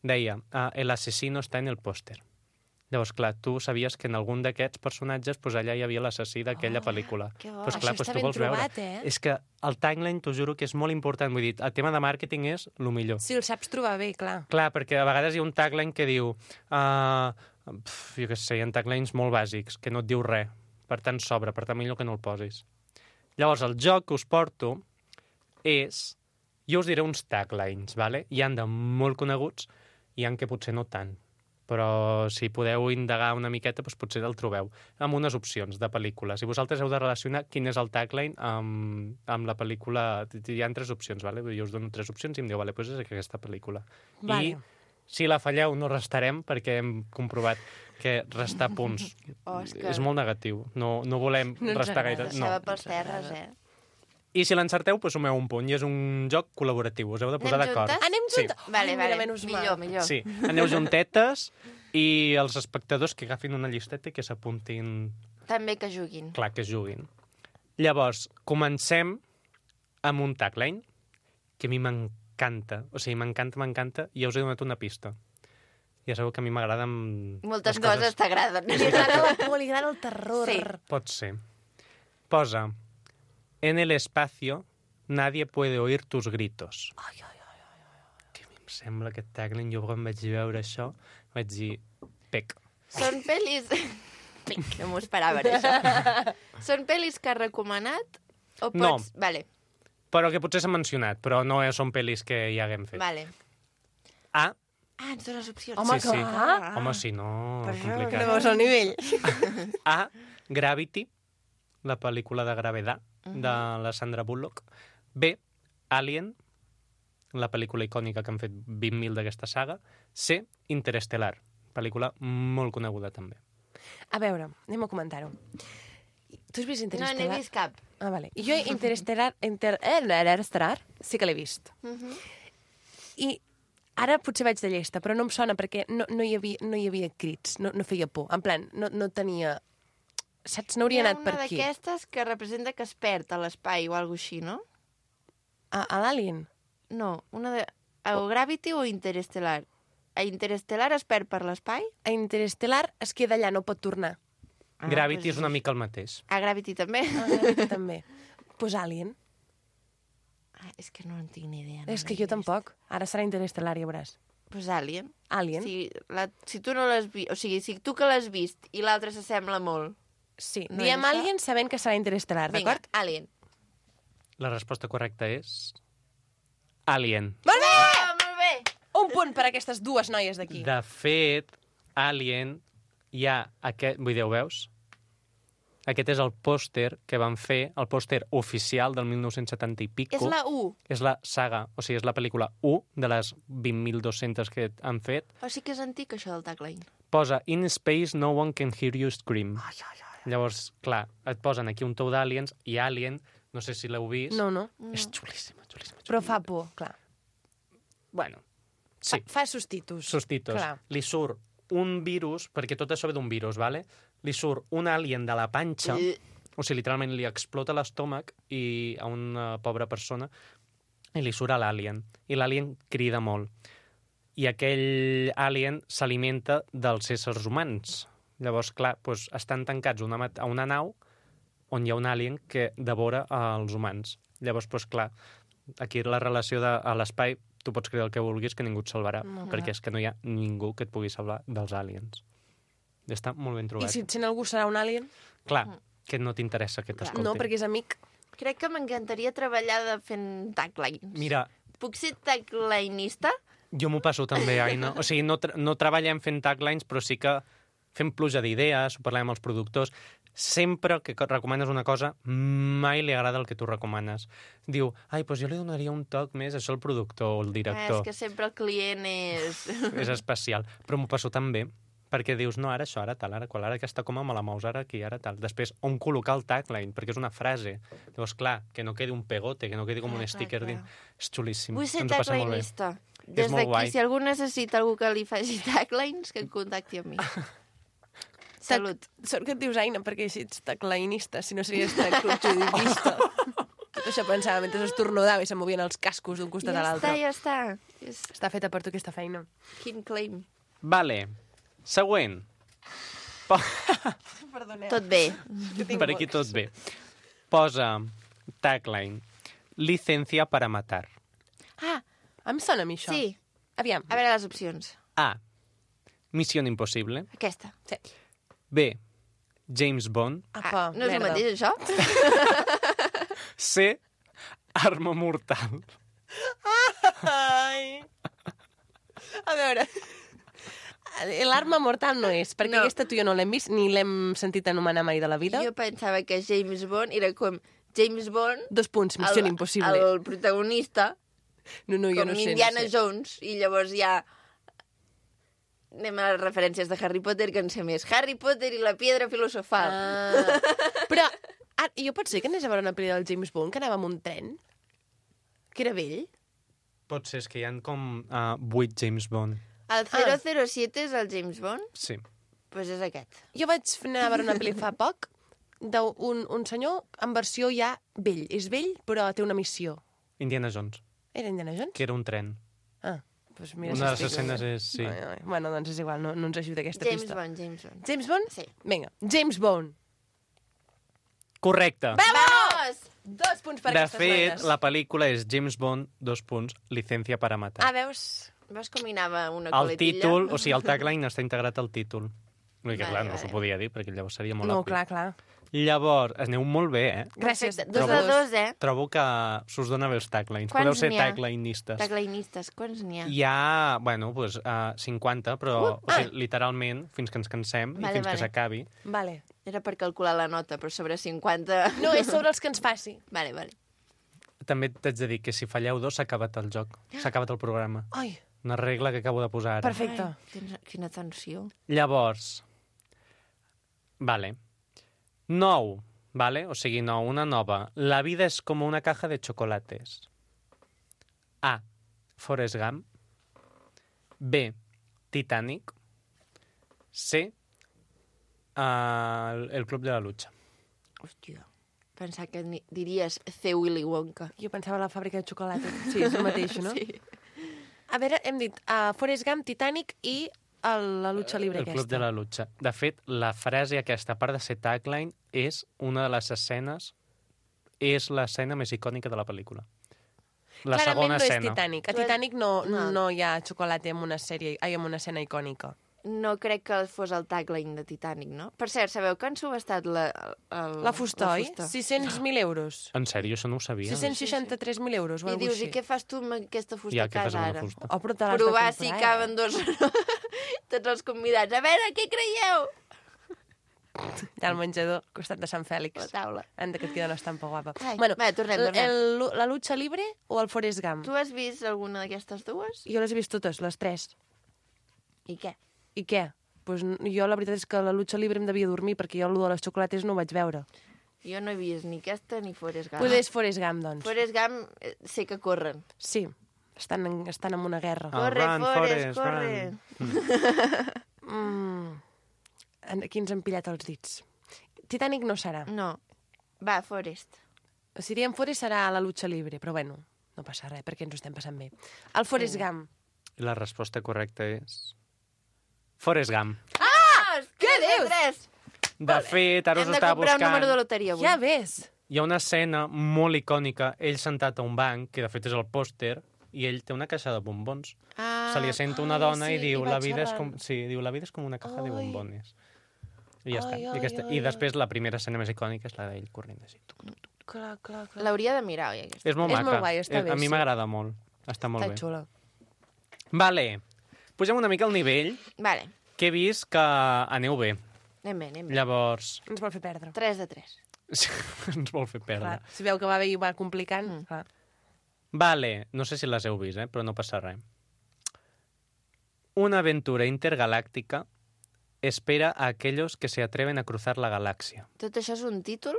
deia ah, el asesino està en el pòster. Llavors, clar, tu sabies que en algun d'aquests personatges pues, allà hi havia l'assassí d'aquella Oh, pel·lícula. que bo. Pues, Això clar, està pues, tu ben vols veure. trobat, eh? És que el tagline, t'ho juro que és molt important. Vull dir, el tema de màrqueting és el millor. Si el saps trobar bé, clar. Clar, perquè a vegades hi ha un tagline que diu uh, pf, jo què sé, hi ha taglines molt bàsics, que no et diu res, per tant sobra, per tant millor que no el posis. Llavors, el joc que us porto és... Jo us diré uns taglines, ¿vale? Hi han de molt coneguts, hi han que potser no tant, però si podeu indagar una miqueta, doncs potser el trobeu, amb unes opcions de pel·lícules. I vosaltres heu de relacionar quin és el tagline amb, amb la pel·lícula. Hi ha tres opcions, ¿vale? Jo us dono tres opcions i em diu, vale, doncs és aquesta pel·lícula. Vale. I si la falleu no restarem, perquè hem comprovat que restar punts Oh, és que- és molt negatiu. No, no volem No ens restar agrada. gaire... Això No. va pels terres, eh? I si l'encerteu, doncs sumeu un punt. I és un joc col·laboratiu, us heu de posar Anem d'acord. juntes? Anem Sí. juntes? Vale, Ai, vale. mira, menys mal. Millor, millor. Sí, aneu juntetes i els espectadors que agafin una llisteta i que s'apuntin, També que juguin. clar, que juguin. Llavors, comencem amb un tagline que a mi m'encanta. O sigui, m'encanta, m'encanta, i ja us he donat una pista. Ja sabeu que a mi m'agraden... Moltes les coses t'agraden. Li agrada la por, li agrada el terror. Sí. Pot ser. Posa, en el espacio nadie puede oír tus gritos. Ai, ai, ai. Que a mi em sembla aquest tagline, jo quan vaig veure això, vaig dir, pec. Són pel·lis... No m'ho esperava, això. Són pel·lis que has recomanat? O pots... No. Vale, Però que potser s'ha mencionat, però no són pel·lis que ja haguem fet. vale. A, Ah, ens dones opcions. Home, sí, sí. clar. Home, si no, Per això, No complicat. veus el nivell. A, Gravity, la pel·lícula de Gravedad, de la Sandra Bullock. B, Alien, la pel·lícula icònica que han fet vint mil d'aquesta saga. C, Interestelar, pel·lícula molt coneguda també. A veure, anem a comentar-ho. Tu has vist No, Interestelar? n'he vist cap. Ah, vale. I jo Interestelar, Inter... eh, Interestelar sí que l'he vist. I ara potser vaig de llesta, però no em sona perquè no, no, hi, havia, no hi havia crits, no, no feia por. En plan, no, no tenia saps, n'hauria Hi ha anat per una aquí. d'aquestes que representa que es perd a l'espai o alguna així, no? A, a l'Alien? No, una de... O Gravity o Interestelar? A Interestelar es perd per l'espai? A Interestelar es queda allà, no pot tornar. Ah, Gravity pues... és una mica el mateix. A Gravity també? Ah, Gravity també. Doncs pues Alien. Ah, és que no en tinc ni idea. No És que jo tampoc. Ara serà Interestelar, ja veuràs. Pues Alien. Alien? Si, la, si tu no l'has vist... O sigui, si tu que l'has vist i l'altre s'assembla molt... Sí, No diem és això? Alien sabent que serà Interestelar, Vinga, d'acord? Alien. La resposta correcta és... Alien. Molt bé! Ah, molt bé! Un punt per a aquestes dues noies d'aquí. De fet, Alien hi ha aquest... Vull dir, ho veus? Aquest és el pòster que van fer, el pòster oficial del mil nou-cents setanta i pico. És la u. És la saga, o sigui, és la pel·lícula u de les vint mil dos-centes que han fet. O sigui que és antic, això del tagline. Posa In space no one can hear you scream. Ai, ai, ai. Llavors, clar, et posen aquí un tou d'aliens i Alien, no sé si l'heu vist. No, no. És xulíssima, xulíssima. Però fa por, clar. Bueno, sí. Fa, fa sustitus. Sustitos. Clar. Li surt un virus, perquè tot això ve d'un virus, vale? Li surt un alien de la panxa, I... o sigui, literalment li explota l'estómac i a una pobra persona i li surt a l'alien. I l'alien crida molt. I aquell alien s'alimenta dels éssers humans. Llavors, clar, doncs, estan tancats una, a una nau on hi ha un alien que devora els humans. Llavors, doncs, clar, aquí la relació de, a l'espai, tu pots creure el que vulguis, que ningú et salvarà, No, perquè clar. és que no hi ha ningú que et pugui salvar dels aliens. Està molt ben I trobat. si et sent algú serà un alien? Clar, que no t'interessa que t'escolti. No, perquè és amic. Crec que m'encantaria treballar de fent taglines. Mira, Puc ser taglineista? jo m'ho passo també, Aina. O sigui, no, tra no treballem fent taglines, però sí que fem pluja d'idees, ho parlem amb els productors. Sempre que recomanes una cosa, mai li agrada el que tu recomanes. Diu, ai, doncs jo li donaria un toc més a això al productor o al Eh, director. és que sempre el client és... És especial. Però m'ho passo tan bé, perquè dius, no, ara això, ara tal, ara qual, ara aquesta coma me la mous, ara aquí, ara tal. Després, on col·locar el tagline, perquè és una frase. Llavors, clar, que no quedi un pegote, que no quedi com Clar, un clar, sticker clar. dins. És xulíssim. Vull ser Ens ho passem molt bé. taglineista. Des molt guai. d'aquí, si algú necessita algú que li faci taglines, que em contacti amb mi. Salut. Sort que et dius Aina, perquè així ets taglinista, si no series taglinista. Tot això pensava mentre estornudava i se movien els cascos d'un costat Ja a està, l'altre. ja està. És... Està feta per tu aquesta feina. Quin claim. Vale. Següent. Po Perdoneu. Tot bé. per aquí tot bé. Posa tagline. Licencia para matar. Ah, Em sona a mi això. sí. Aviam. A veure les opcions. A. Misión imposible. Aquesta. Sí. B. James Bond. Apa, Ah, no és el merda. mateix, això? C. Arma mortal. Ai. A veure... L'arma mortal no és, perquè No. no. aquesta tu i jo no l'hem vist, ni l'hem sentit anomenar mai de la vida. Jo pensava que James Bond era com James Bond, Dos punts, missió el, impossible. el protagonista, No, no, jo com no sé. Indiana no sé. Jones, i llavors ja anem a les referències de Harry Potter, que en sé més. Harry Potter i la piedra filosofal. Ah. Però ah, jo pot ser que anés a veure una pel·li del James Bond que anava amb un tren? Que era vell? Pot ser, és que hi ha com uh, vuit James Bond. El zero zero siete és el James Bond? Sí. Doncs pues és aquest. Jo vaig anar a veure una pel·li fa poc d'un un senyor en versió ja vell. És vell, però té una missió. Indiana Jones, Era Indiana Jones? que era un tren. Ah, doncs mira... Una de si les estic- escenes és... Sí. Ai, ai. Bueno, doncs és igual, no, no ens ajuda aquesta James pista. Bond, James Bond. James Bond? Sí. Vinga, James Bond. Correcte. Vamos! Dos punts per De aquestes fet, noies. la pel·lícula és James Bond, dos punts, licencia para matar. Ah, veus? Veus com hi anava una El coletilla? títol, o sigui, el tagline està integrat al títol. Vull dir que, Vale, clar, no vale. s'ho podia dir, perquè llavors seria molt No, obvi. clar, clar. Llavors, aneu molt bé, eh? Gràcies. Perfecte. Dos de Trobo- dos, eh? Trobo que s'us dona bé els taglines. Quants Podeu ser n'hi ha? taglinistes. Taglinistes, quants n'hi ha? Hi ha, bueno, doncs, uh, cinquanta, però Uh, o sigui, literalment, fins que ens cansem Vale, i fins vale. que s'acabi. Vale. Era per calcular la nota, però sobre cinquanta... No, és sobre els que ens faci. Vale, vale. També t'haig de dir que si falleu dos, s'ha acabat el joc. S'ha acabat el programa. Ai, Una regla que acabo de posar ara. perfecte. Ai, quina, quina tensió. Llavors, vale. Nou, vale? O sigui, no, una nova. La vida és com una caja de chocolates. A. Forrest Gump. B. Titanic. C. Uh, el Club de la Lucha. Hòstia, pensava que ni- diries C. Willy Wonka. Jo pensava a la fàbrica de xocolata. Sí, és el mateix, no? Sí. A veure, hem dit uh, Forrest Gump, Titanic i el, la lucha libre El aquesta. Club de la Lucha. De fet, la frase aquesta, a part de ser tagline, és una de les escenes, és l'escena més icònica de la pel·lícula. La Clarament segona no és escena. Titanic. A Tu has- Titanic no, No. no hi ha xocolata en una sèrie, ai, en una escena icònica. No crec que fos el tagline de Titanic, no? Per cert, sabeu que han subestat la... El, La fusta, oi? fusta? sis-cents mil euros. En sèrio, això no ho sabia. sis-cents seixanta-tres mil euros o I alguna dius, cosa i així. què fas tu amb aquesta fusta Ja, a què fas casa amb ara? la fusta? Oh, però te l'has de Provar comprar, si eh? caben dos... Tots els convidats. A veure, què creieu? Allà al menjador, al costat de Sant Fèlix. La taula. Anda, que et queda una estampa guapa. Ai, bueno, va, tornem, el- tornem. El, la lucha libre o el Forrest Gump? Tu has vist alguna d'aquestes dues? Jo les he vist totes, les tres. I què? I què? Pues, jo la veritat és que la lucha libre em devia dormir, perquè jo el de les xocolates no ho vaig veure. Jo no he vist ni aquesta ni Forrest Gump. Poder és Forrest Gump, doncs. Forrest Gump eh, sé que corren. Sí, estan en, estan en una guerra. Ah, Corre, run, Forrest, Forrest, corre. Mm. En- Aquí ens han pillat els dits. Titanic no serà. No. Va, Forrest. Si diem Forrest serà la lucha libre, però bueno, no passa res, perquè ens ho estem passant bé. El Forrest Gump. I la resposta correcta és... Forrest Gump. Ah! Què dius? Tres. De fet, ara us Hem de estava comprar un número de buscant... loteria avui. Ja ves. Hi ha una escena molt icònica, ell sentat a un banc, que de fet és el pòster, i ell té una caixa de bombons. Ah, Se li assenta una ai, dona sí, i diu, i va la vida és xerrant. com... Sí, diu, la vida és com una caja de Ai. bombones. I ja està. Ai, I, ai, aquesta... ai, I després la primera escena més icònica és la d'ell corrent així. Clar, clar, clar. L'hauria de mirar, oi, aquesta. És molt És maca. molt guai, està Eh, bé, A mi sí. m'agrada molt. Està molt Està bé. xula. Vale. Pugem una mica el nivell, Vale, que he vist que aneu bé. anem bé, anem bé. Llavors, Ens vol fer perdre. Tres de tres. ens vol fer perdre. Clar, si veu que va bé i va complicant, Mm. clar. Vale, no sé si les heu vist, eh? Però no passa res. Una aventura intergaláctica espera a aquellos que se atreven a cruzar la galaxia. Tot això és un títol?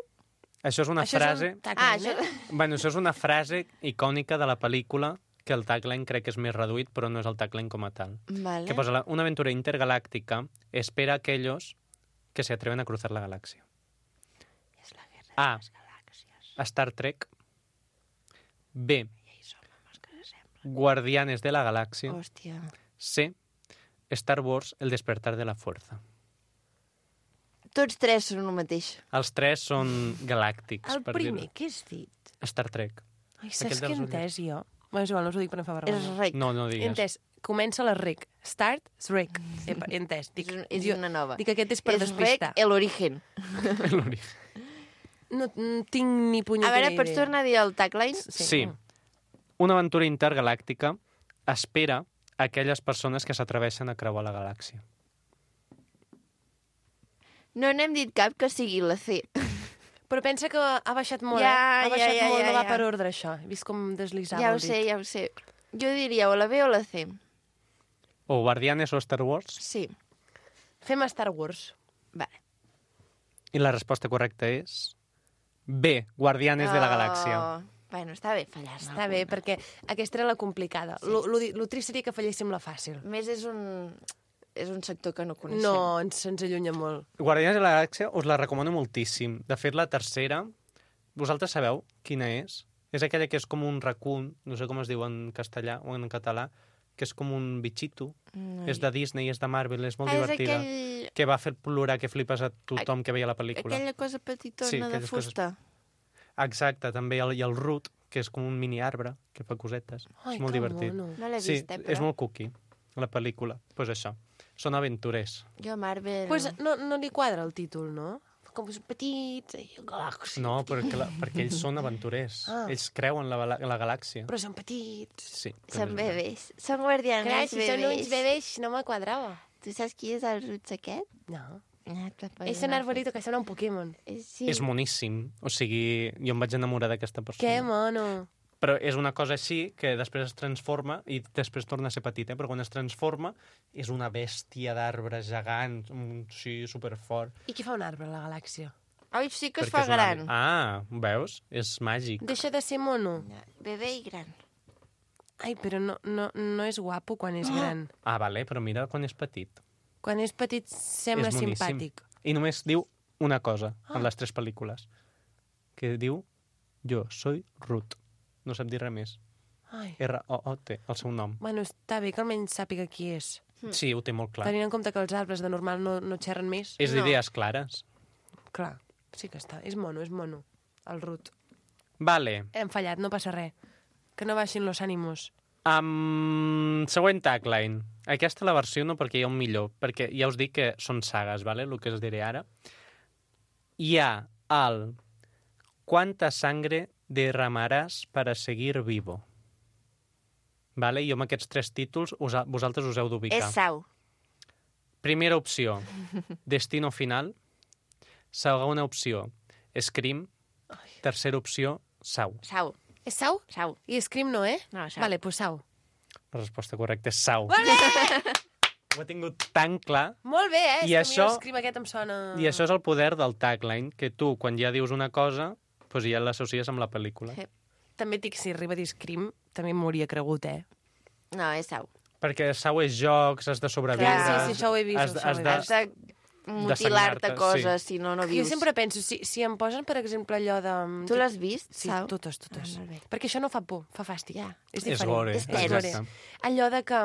Això és una Això frase... és un tagline, Ah, això... eh? Bueno, això és una frase icònica de la pel·lícula, que el tagline crec que és més reduït, però no és el tagline com a tal. Vale. Que posa la- una aventura intergaláctica espera a aquellos que se atreven a cruzar la galaxia. És la guerra A. de les galàxies. Star Trek. B. I ahí som homes que s'assemblen. Guardianes de la Galaxia. Hòstia. C. Star Wars, el despertar de la fuerza. Tots tres són el mateix. Els tres són galàctics. El per primer, dir-ho. què has dit? Star Trek. Ai, Aquell saps què he dels entès jo? Bueno, és igual, no us ho dic per no fa És vergonya. rec. No, no He digues. entès. Comença la rec. Start, rec. He, he entès. Dic, És, és jo, una nova. dic que aquest és per és despistar. rec el origen. No, no tinc ni A punyetera veure, pots idea. tornar a dir el tagline? Sí. Una aventura intergalàctica espera a aquelles persones que s'atreveixen a creuar la galàxia. No n'hem dit cap que sigui la C. Però pensa que ha baixat molt, Ja, eh? Ha ja, baixat ja, molt, ja, no va ja. per ordre, això. He vist com deslizava Ja ho el dit. sé, ja ho sé. Jo diria o la B o la C. O Guardianes o Star Wars. Sí. Fem Star Wars. Vale. I la resposta correcta és B. Guardianes de la Galàxia. Oh. Bueno, està bé fallar. Està bé, perquè aquesta era la complicada. Sí. Lo, lo, di- lo trist seria que falléssim la fàcil. A més, és un, és un sector que no coneixem. No, ens, ens allunya molt. Guardianes de la Galàxia us la recomano moltíssim. De fet, la tercera, vosaltres sabeu quina és? És aquella que és com un raccoon, no sé com es diu en castellà o en català, que és com un bitxito. No. És de Disney, és de Marvel, és molt ah, és divertida. aquell, Que va fer plorar que flipes a tothom que veia la pel·lícula. aquella cosa petitona Sí, de aquelles coses- fusta. Exacte, també. El, I el root, que és com un mini arbre, que fa cosetes. Ai, és molt que divertit. mono. No l'he Sí, vist, eh, però. és molt cookie, la pel·lícula. Doncs pues això. Són aventurers. Jo, Marvel... Pues no, no li quadra el títol, no? Com són petits, i galàxia. No, perquè, la, perquè ells són aventurers. Ah. Ells creuen la, la, la galàxia. Però són petits. Sí. Són també és veritat. bebès. Són guardianes Clar, si bebès. són uns bebès, no me quadrava. Tu saps qui és el Roots aquest? No. Ah, te pots És un anar- arbolito que sembla un Pokémon. Eh, Sí. És moníssim. O sigui, jo em vaig enamorar d'aquesta persona. Que mono. Però és una cosa així que després es transforma i després torna a ser petit, eh? Però quan es transforma és una bèstia d'arbre gegant, un, sí, superfort. I qui fa un arbre a la galàxia? Ai, sí que es Perquè fa és una- gran. Ah, veus? És màgic. Deixa de ser mono. Bebè i gran. Ai, però no, no, no és guapo quan és gran. Ah, vale, però mira quan és petit. Quan és petit sembla És moníssim. simpàtic. I només diu una cosa en les tres pel·lícules, que diu jo soy Ruth. No sap dir res més. Ai. R O O T, el seu nom. Bueno, està bé que almenys sàpiga qui és. Sí, ho té molt clar. Tenint en compte que els arbres de normal no, no xerren més. És No. d'idees clares. Clar, sí que està. És mono, és mono. El Ruth. Vale. Hem fallat, no passa res. Que no baixin los ànimos. Um, següent tagline. Aquesta la versió no perquè hi ha un millor, perquè ja us dic que són sagues, vale? El que us diré ara. Hi ha el ¿Cuánta sangre derramaràs para seguir vivo? Vale? Jo amb aquests tres títols us, vosaltres us heu d'ubicar. És Sau. Primera opció, Destino Final. Segona opció, Scream. Tercera opció, Sau. Sau. És Sau? Sau. I Scream no, eh? No, Sau. Vale, pues Sau. La resposta correcta és Sau. Vale! Ho he tingut tan clar. Molt bé, eh? I És que això- a mi el Scream aquest em sona... I això és el poder del tagline, que tu, quan ja dius una cosa, doncs ja l'associes amb la pel·lícula. Sí. També et dic, si arriba a dir Scream, també m'hauria cregut, eh? No, és Sau. Perquè Sau és jocs, has de sobreviure... Clar, sí, sí, això ho he vist, Has, això ho he has vist. de... Has de mutilar-te sagnar-te, coses, si no, no Jo vius. sempre penso, si, si em posen, per exemple, allò de... Tu l'has vist, Sí, Sau? totes, totes. Ah, molt bé. Perquè això no fa por, fa fàstic. Ja. És És diferent. gore, És tens. exacte. Allò de que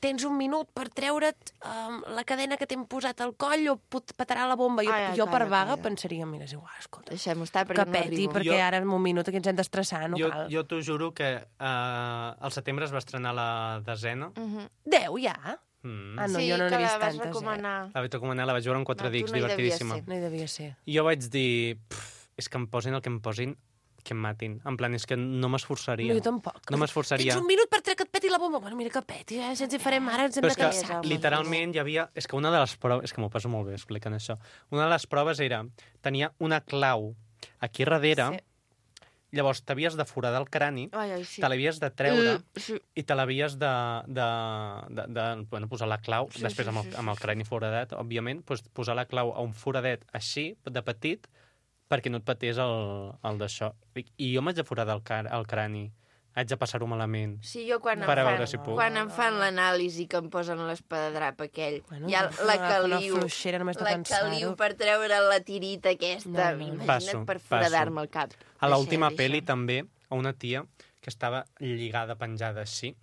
tens un minut per treure't um, la cadena que t'hem posat al coll o pot petarà la bomba. Jo, Ai, ai, jo per calla, vaga calla. pensaria, mira, és igual, escolta, Deixem-ho estar, que perquè no peti, arribo. perquè Jo- ara en un minut aquí ens hem d'estressar, no jo, cal. jo t'ho juro que uh, al setembre es va estrenar la desena. Mhm. Deu, ja? Mm. Ah, no, sí, jo no que n'he la vist vas tantes, recomanar. La vaig recomanar, la vaig veure en quatre No, tu dics, no hi devies divertidíssima. ser. eh? No hi devia ser. I jo vaig dir, "Pff, és que em posin el que em posin, que em matin. En plan, és que no m'esforçaria. No, jo tampoc. No m'esforçaria. Tens un minut per treure que et peti la bomba. Bueno, mira que peti, eh? Si ens hi farem ara, ens hem Però de és que, cansar. home, literalment, hi havia... És que una de les proves... És que m'ho passo molt bé explicant això. Una de les proves era... Tenia una clau aquí darrere, Sí. llavors t'havies de foradar el crani, Ai, ai, sí. te l'havies de treure Mm, sí. i te l'havies de, de, de, de bueno, posar la clau, Sí, després sí, amb el, sí, sí, amb el crani foradat, òbviament, doncs posar la clau a un foradet així, de petit, perquè no et patés el, el d'això. I I jo m'haig de foradar el, car el crani. Haig de passar-ho malament. Sí, jo quan, Per em a fan, veure si puc. quan em fan l'anàlisi que em posen l'espadadrap aquell, Bueno, hi ha agafa la una- caliu, una fluixera només de la pensar-ho. caliu per treure la tirita aquesta. No, no, no. Imagina't Passo, per passo. foradar-me el cap. A l'última Deixa, pel·li deixa. també, a una tia que estava lligada, penjada així,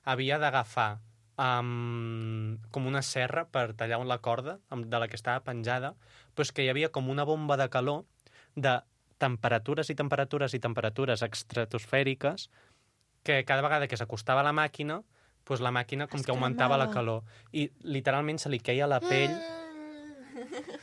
havia d'agafar um, com una serra per tallar la corda amb- de la que estava penjada, però que hi havia com una bomba de calor de temperatures i temperatures i temperatures estratosfèriques que cada vegada que s'acostava a la màquina, doncs la màquina com Es que augmentava la cremava. calor. I literalment se li queia la pell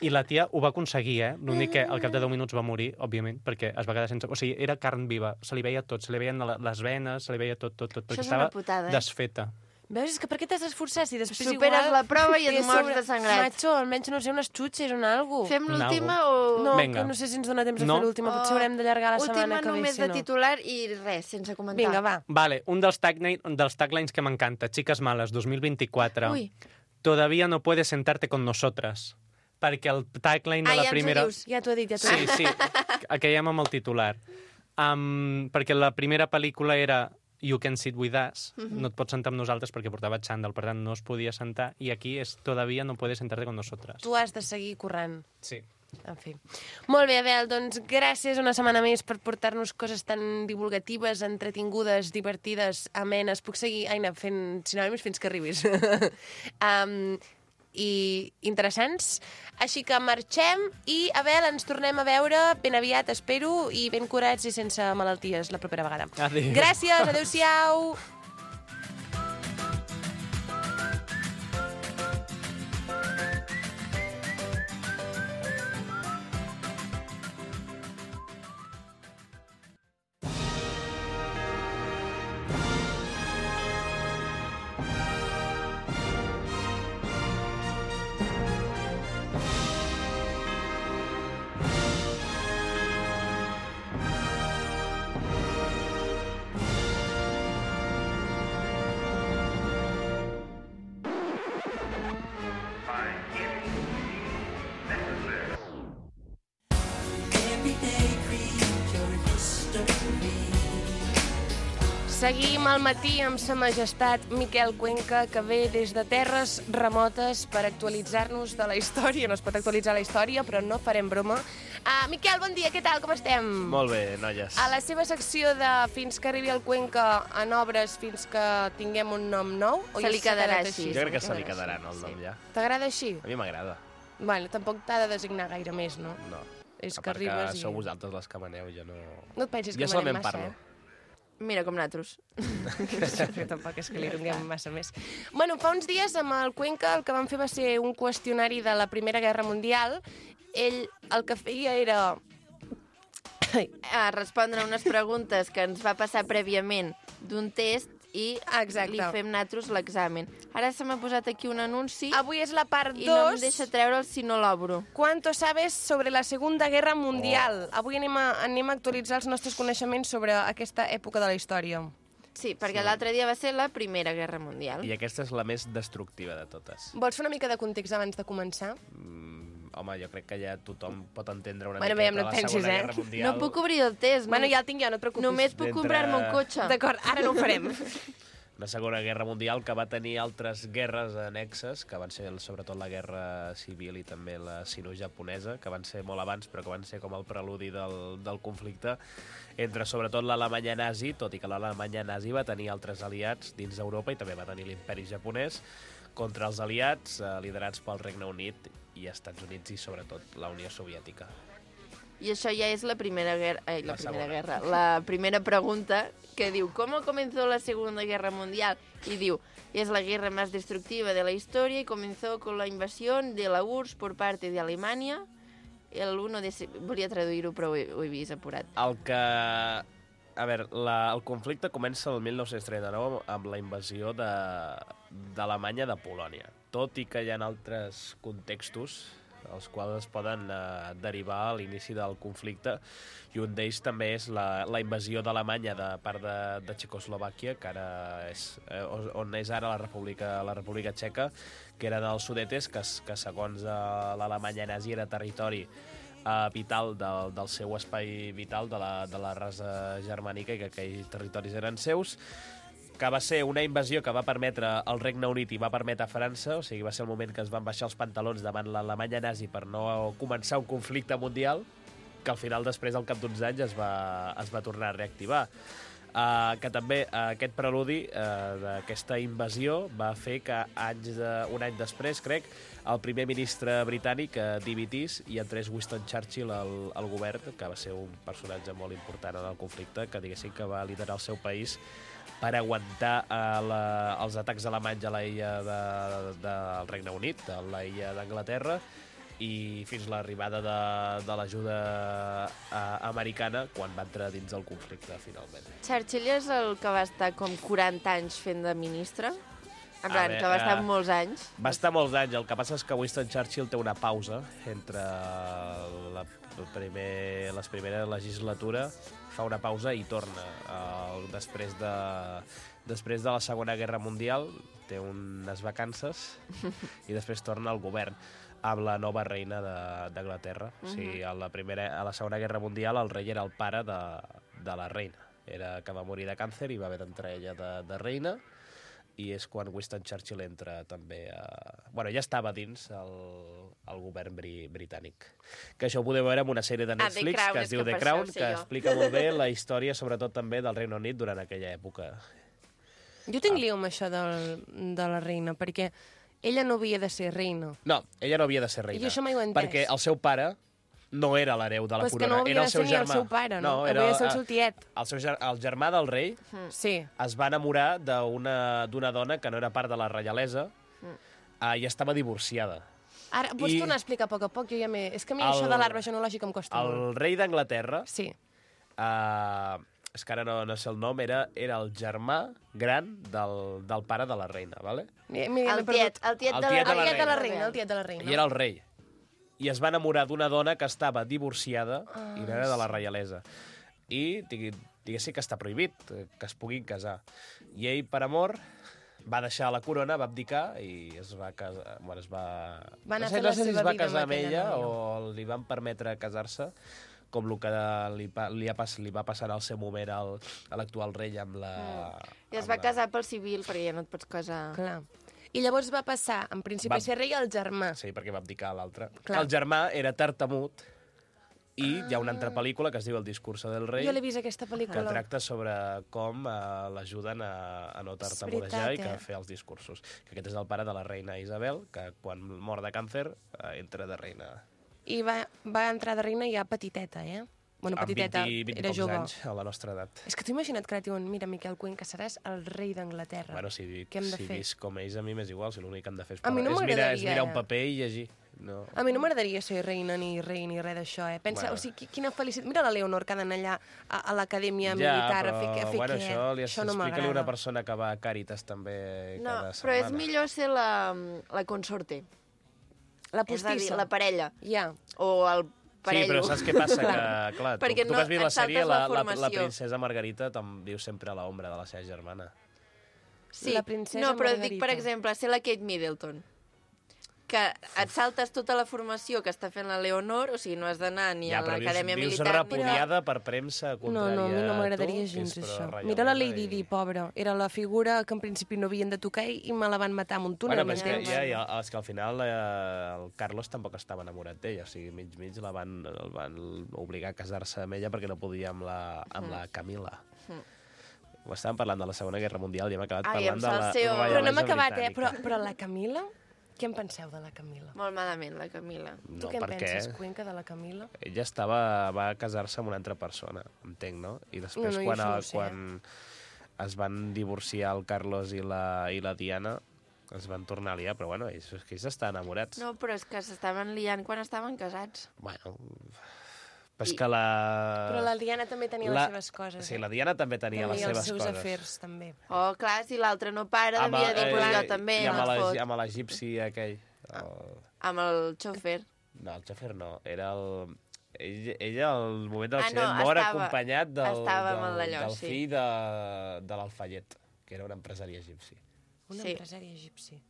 i la tia ho va aconseguir, eh? L'únic que al cap de deu minuts va morir, òbviament, perquè es va quedar sense... O sigui, era carn viva, se li veia tot, se li veien la- les venes, se li veia tot, tot, tot, perquè és una estava putada, eh? desfeta. Veus? És que per què t'has d'esforçar si després Superes igual... la prova i et té mors sobre- de sangrat. Macho, almenys, no sé, unes xutxes o algo. Fem Un l'última algo. o... No, Vinga. que no sé si ens dona temps de No. fer l'última. Potser haurem d'allargar la setmana Última que ve, només si de no. titular i res, sense comentar. Vinga, va. Vale, un dels, tagline, dels taglines que m'encanta, Chicas Malas, dos mil vint-i-quatre. Ui. Todavía no puedes sentarte con nosotras. Perquè el tagline de Ah, la ja ens ho primera... dius. Ja t'ho he dit, ja t'ho he Sí, dit. sí, aquellem amb el titular. Um, perquè la primera pel·lícula era You Can Sit With Us, Mhm. no et pots sentar amb nosaltres perquè portava xandall, per tant no es podia sentar, i aquí és Todavía no puedes sentarte con nosotras. Tu has de seguir corrent. Sí. En fi. Molt bé, Abel, doncs gràcies una setmana més per portar-nos coses tan divulgatives, entretingudes, divertides, amenes. Puc seguir, Aina, fent sinònims fins que arribis. um, i interessants. Així que marxem i, Abel, ens tornem a veure ben aviat, espero, i ben curats i sense malalties la propera vegada. Adéu. Gràcies, adeu-siau! Seguim al matí amb sa majestat Miquel Cuenca, que ve des de terres remotes per actualitzar-nos de la història. No es pot actualitzar la història, però no farem broma. Uh, Miquel, bon dia, què tal, com estem? Molt bé, noies. A la seva secció de Fins que arribi el Cuenca en obres fins que tinguem un nom nou? O Se ja li s'ha quedarà quedat així. Jo crec que se li quedarà, no, el nom Sí. ja. T'agrada així? A mi m'agrada. Bueno, tampoc t'ha de designar gaire més, no? No. És A que part que arribes i... sou vosaltres les que maneu, jo no... No et pensis Jo que solament manem massa, parlo. eh? Mira com nosaltres. Que tampoc és que li donem massa més. Bueno, fa uns dies amb el Cuenca el que vam fer va ser un qüestionari de la Primera Guerra Mundial. Ell el que feia era... A respondre unes preguntes que ens va passar prèviament d'un test i Exacte. li fem nosaltres l'examen. Ara se m'ha posat aquí un anunci Avui és la part i no em dos. deixa treure'l si no l'obro. ¿Cuánto sabes sobre la Segunda Guerra Mundial? Oh. Avui anem a, anem a actualitzar els nostres coneixements sobre aquesta època de la història. Sí, perquè l'altre dia va ser la Primera Guerra Mundial. I aquesta és la més destructiva de totes. Vols fer una mica de context abans de començar? Mm, home, jo crec que ja tothom pot entendre una Bueno, miqueta veiem, no et la pensis, Segona eh? Guerra Mundial. No puc obrir el test. Bueno, ja el tinc jo, no et preocupis. Només puc D'entre- comprar-me un cotxe. D'acord, ara no ho farem. Una Segona Guerra Mundial que va tenir altres guerres annexes, que van ser sobretot la Guerra Civil i també la sino-japonesa, que van ser molt abans, però que van ser com el preludi del, del conflicte entre sobretot l'Alemanya nazi, tot i que l'Alemanya nazi va tenir altres aliats dins d'Europa i també va tenir l'imperi japonès, contra els aliats eh, liderats pel Regne Unit i Estats Units i sobretot la Unió Soviètica. I això ja és la primera guerra... Ai, la, La primera segona. guerra. La primera pregunta que diu ¿Cómo comenzó la Segunda Guerra Mundial? Y diu, es la guerra más destructiva de la historia y comenzó con la invasión de la U R S S por parte de Alemania el uno de... se- Volia traduir-ho, però ho he, ho he vist apurat. El que... A veure, la, el conflicte comença el mil nou-cents trenta-nou amb la invasió de- d'Alemanya de, de Polònia. Tot i que hi ha altres contextos els quals es poden eh, derivar a l'inici del conflicte, i un d'ells també és la, la invasió d'Alemanya de part de, de Txecoslovàquia, que ara és, eh, on és ara la República, la República Txeca, que eren els Sudetes, que, que segons eh, l'Alemanya nazi era territori eh, vital del, del seu espai vital de la, de la raça germànica i que aquells territoris eren seus, que va ser una invasió que va permetre al Regne Unit i va permetre a França, o sigui, va ser el moment que es van baixar els pantalons davant l'Alemanya nazi per no començar un conflicte mundial, que al final després, al cap d'uns anys, es va, es va tornar a reactivar. Uh, que també uh, aquest preludi uh, d'aquesta invasió va fer que anys de, un any després, crec, el primer ministre britànic uh, dimitís i entrés Winston Churchill al, al govern, que va ser un personatge molt important en el conflicte, que diguéssim que va liderar el seu país per aguantar uh, la, els atacs alemanys a la illa de, de, del Regne Unit, a la illa d'Anglaterra, i fins l'arribada de, de l'ajuda uh, americana quan va entrar dins del conflicte, finalment. Churchill és el que va estar com quaranta anys fent de ministre? En plan, veure, que va estar eh, molts anys. Va estar molts anys. El que passa és que Winston Churchill té una pausa entre la, el primer, les primeres legislatura, fa una pausa i torna. Uh, després, de, després de la Segona Guerra Mundial té unes vacances i després torna al govern amb la nova reina d'Anglaterra. Uh -huh. O sigui, a la, primera, a la Segona Guerra Mundial el rei era el pare de, de la reina. Era que va morir de càncer i va haver d'entrar ella de, de reina, i és quan Winston Churchill entra també a... Bueno, ja estava dins el, el govern bri, britànic. Que això ho podeu veure en una sèrie de Netflix Crown, que és es diu que The per Crown, això ho sé que jo. explica molt bé la història, sobretot també del Regne Unit durant aquella època. Jo tinc lío amb això del, de la reina, perquè ella no havia de ser reina. No, ella no havia de ser reina. I això mai ho he entès. Perquè el seu pare no era l'hereu de la Però és que corona, no havia era de el seu ser ni el germà. seu pare, no? era, Havia de ser el seu tiet. El, seu, ger- el germà del rei Sí. es va enamorar d'una d'una dona que no era part de la reialesa uh, i estava divorciada. Ara, pots I- tornar a explicar a poc a poc? Jo ja m'he... És que a mi El- això de l'arbre genològic em costa molt. El rei d'Anglaterra, Sí. uh, és que ara no, no sé el nom, era, era el germà gran del, del pare de la reina, ¿vale? Mira, mira, El m'he perdut. tiet, el tiet El de la tiet de El la tiet de la reina. reina, el tiet de la reina. I era el rei. I es va enamorar d'una dona que estava divorciada Ah, i no era de la reialesa. I digui, diguéssim que està prohibit eh, que es puguin casar. I ell, per amor, va deixar la corona, va abdicar i es va casar... Bueno, es va... Va anar no sé, a fer no la sé si seva es va vida amb casar amb aquella ella noia. o li van permetre casar-se, com el que li, pa, li, ha, li va passar al seu moment al, a l'actual rei amb la... Mm. I es amb va la... casar pel civil, perquè ja no et pots casar... Clar. I llavors va passar, en principi, Va- a ser rei el germà. Sí, perquè va abdicar l'altre. Clar. El germà era tartamut i hi ha una altra pel·lícula que es diu El discurso del rei, Jo l'he vist, aquesta que pel·lícula. tracta sobre com eh, l'ajuden a, a no tartamudejar veritat, i que eh? fer els discursos. Que aquest és el pare de la reina Isabel, que quan mor de càncer eh, entra de reina. I va, va entrar de reina ja petiteta, eh? Bueno, petiteta, amb vint, vint era pocs jove. anys, a la nostra edat. És que t'ho imagina't que ara et diuen, mira, Miquel Cuenca, seràs el rei d'Anglaterra. Bueno, si, Què hem de si fer? visc com ells, a mi m'és igual, si l'únic que hem de fer és, A mi no és, mirar, és m'agradaria, mirar un eh? paper i llegir. No. A mi no m'agradaria ser reina ni rei ni res d'això, eh? Pensa, Bueno. o sigui, qui- quina felicitat. Mira la Leonor que ha d'anar allà a, a l'acadèmia Ja, militar però, a fer, a fer bueno, què? això li això no explica-li m'agrada. una persona que va a Càritas també No, cada però és setmana. millor ser la, la consorte. La És a dir, postissa. la parella. Ja. O el Sí, parello. però saps què passa? Que, clar, tu, Perquè tu no- que has vist et la sèrie, saltes la, la la, la formació. princesa Margarita te'n viu sempre a l'ombra de la seva germana. Sí. La princesa no, però Margarita. dic, per exemple, ser la Kate Middleton. Que et saltes tota la formació que està fent la Leonor, o sigui, no has d'anar ni Ja, a però vius, l'acadèmia vius militar... repudiada per premsa No, contrària no, a mi no a m'agradaria tu, gens que és això. pro Mira la reialesa Lady i- Di, pobra. Era la figura que en principi no havien de tocar i me la van matar amb un túnel, Bueno, però és que, m'entens? ja, ja, és que al final eh, el Carlos tampoc estava enamorat d'ella, o sigui, mig mig la van, el van obligar a casar-se amb ella perquè no podia amb la, amb la Camila. Ho estàvem parlant de la Segona Guerra Mundial i hem acabat Ai, parlant amb de la salseo. reialesa Però no hem acabat, eh? britànica. Però, però la Camila? Què en penseu de la Camila? Molt malament, la Camila. Tu No, què en per penses, què? Cuenca, de la Camila? Ella estava, va casar-se amb una altra persona, entenc, no? I després, No, no, jo quan, això no el, ho sé. quan es van divorciar el Carlos i la, i la Diana, es van tornar a liar, però bueno, ells, és que ells estan enamorats. No, però és que s'estaven liant quan estaven casats. Bueno, però és I- que la... Però la Diana també tenia la- les seves coses. Sí, eh? la Diana també tenia les Tenia els seves seus coses. afers, també. Oh, clar, si l'altre no para, Amb devia el- dir, pues eh, jo també, I amb no et la- fot. amb l'egipci aquell. El... Amb el xòfer. No, el xòfer no, era el... Ell, ella, al moment de Ah, l'accident, no, mor estava- acompanyat del, estava amb del, l'allò, del sí. fill de, de l'Alfayet, que era un empresari egipci. Un Sí. empresari egipci.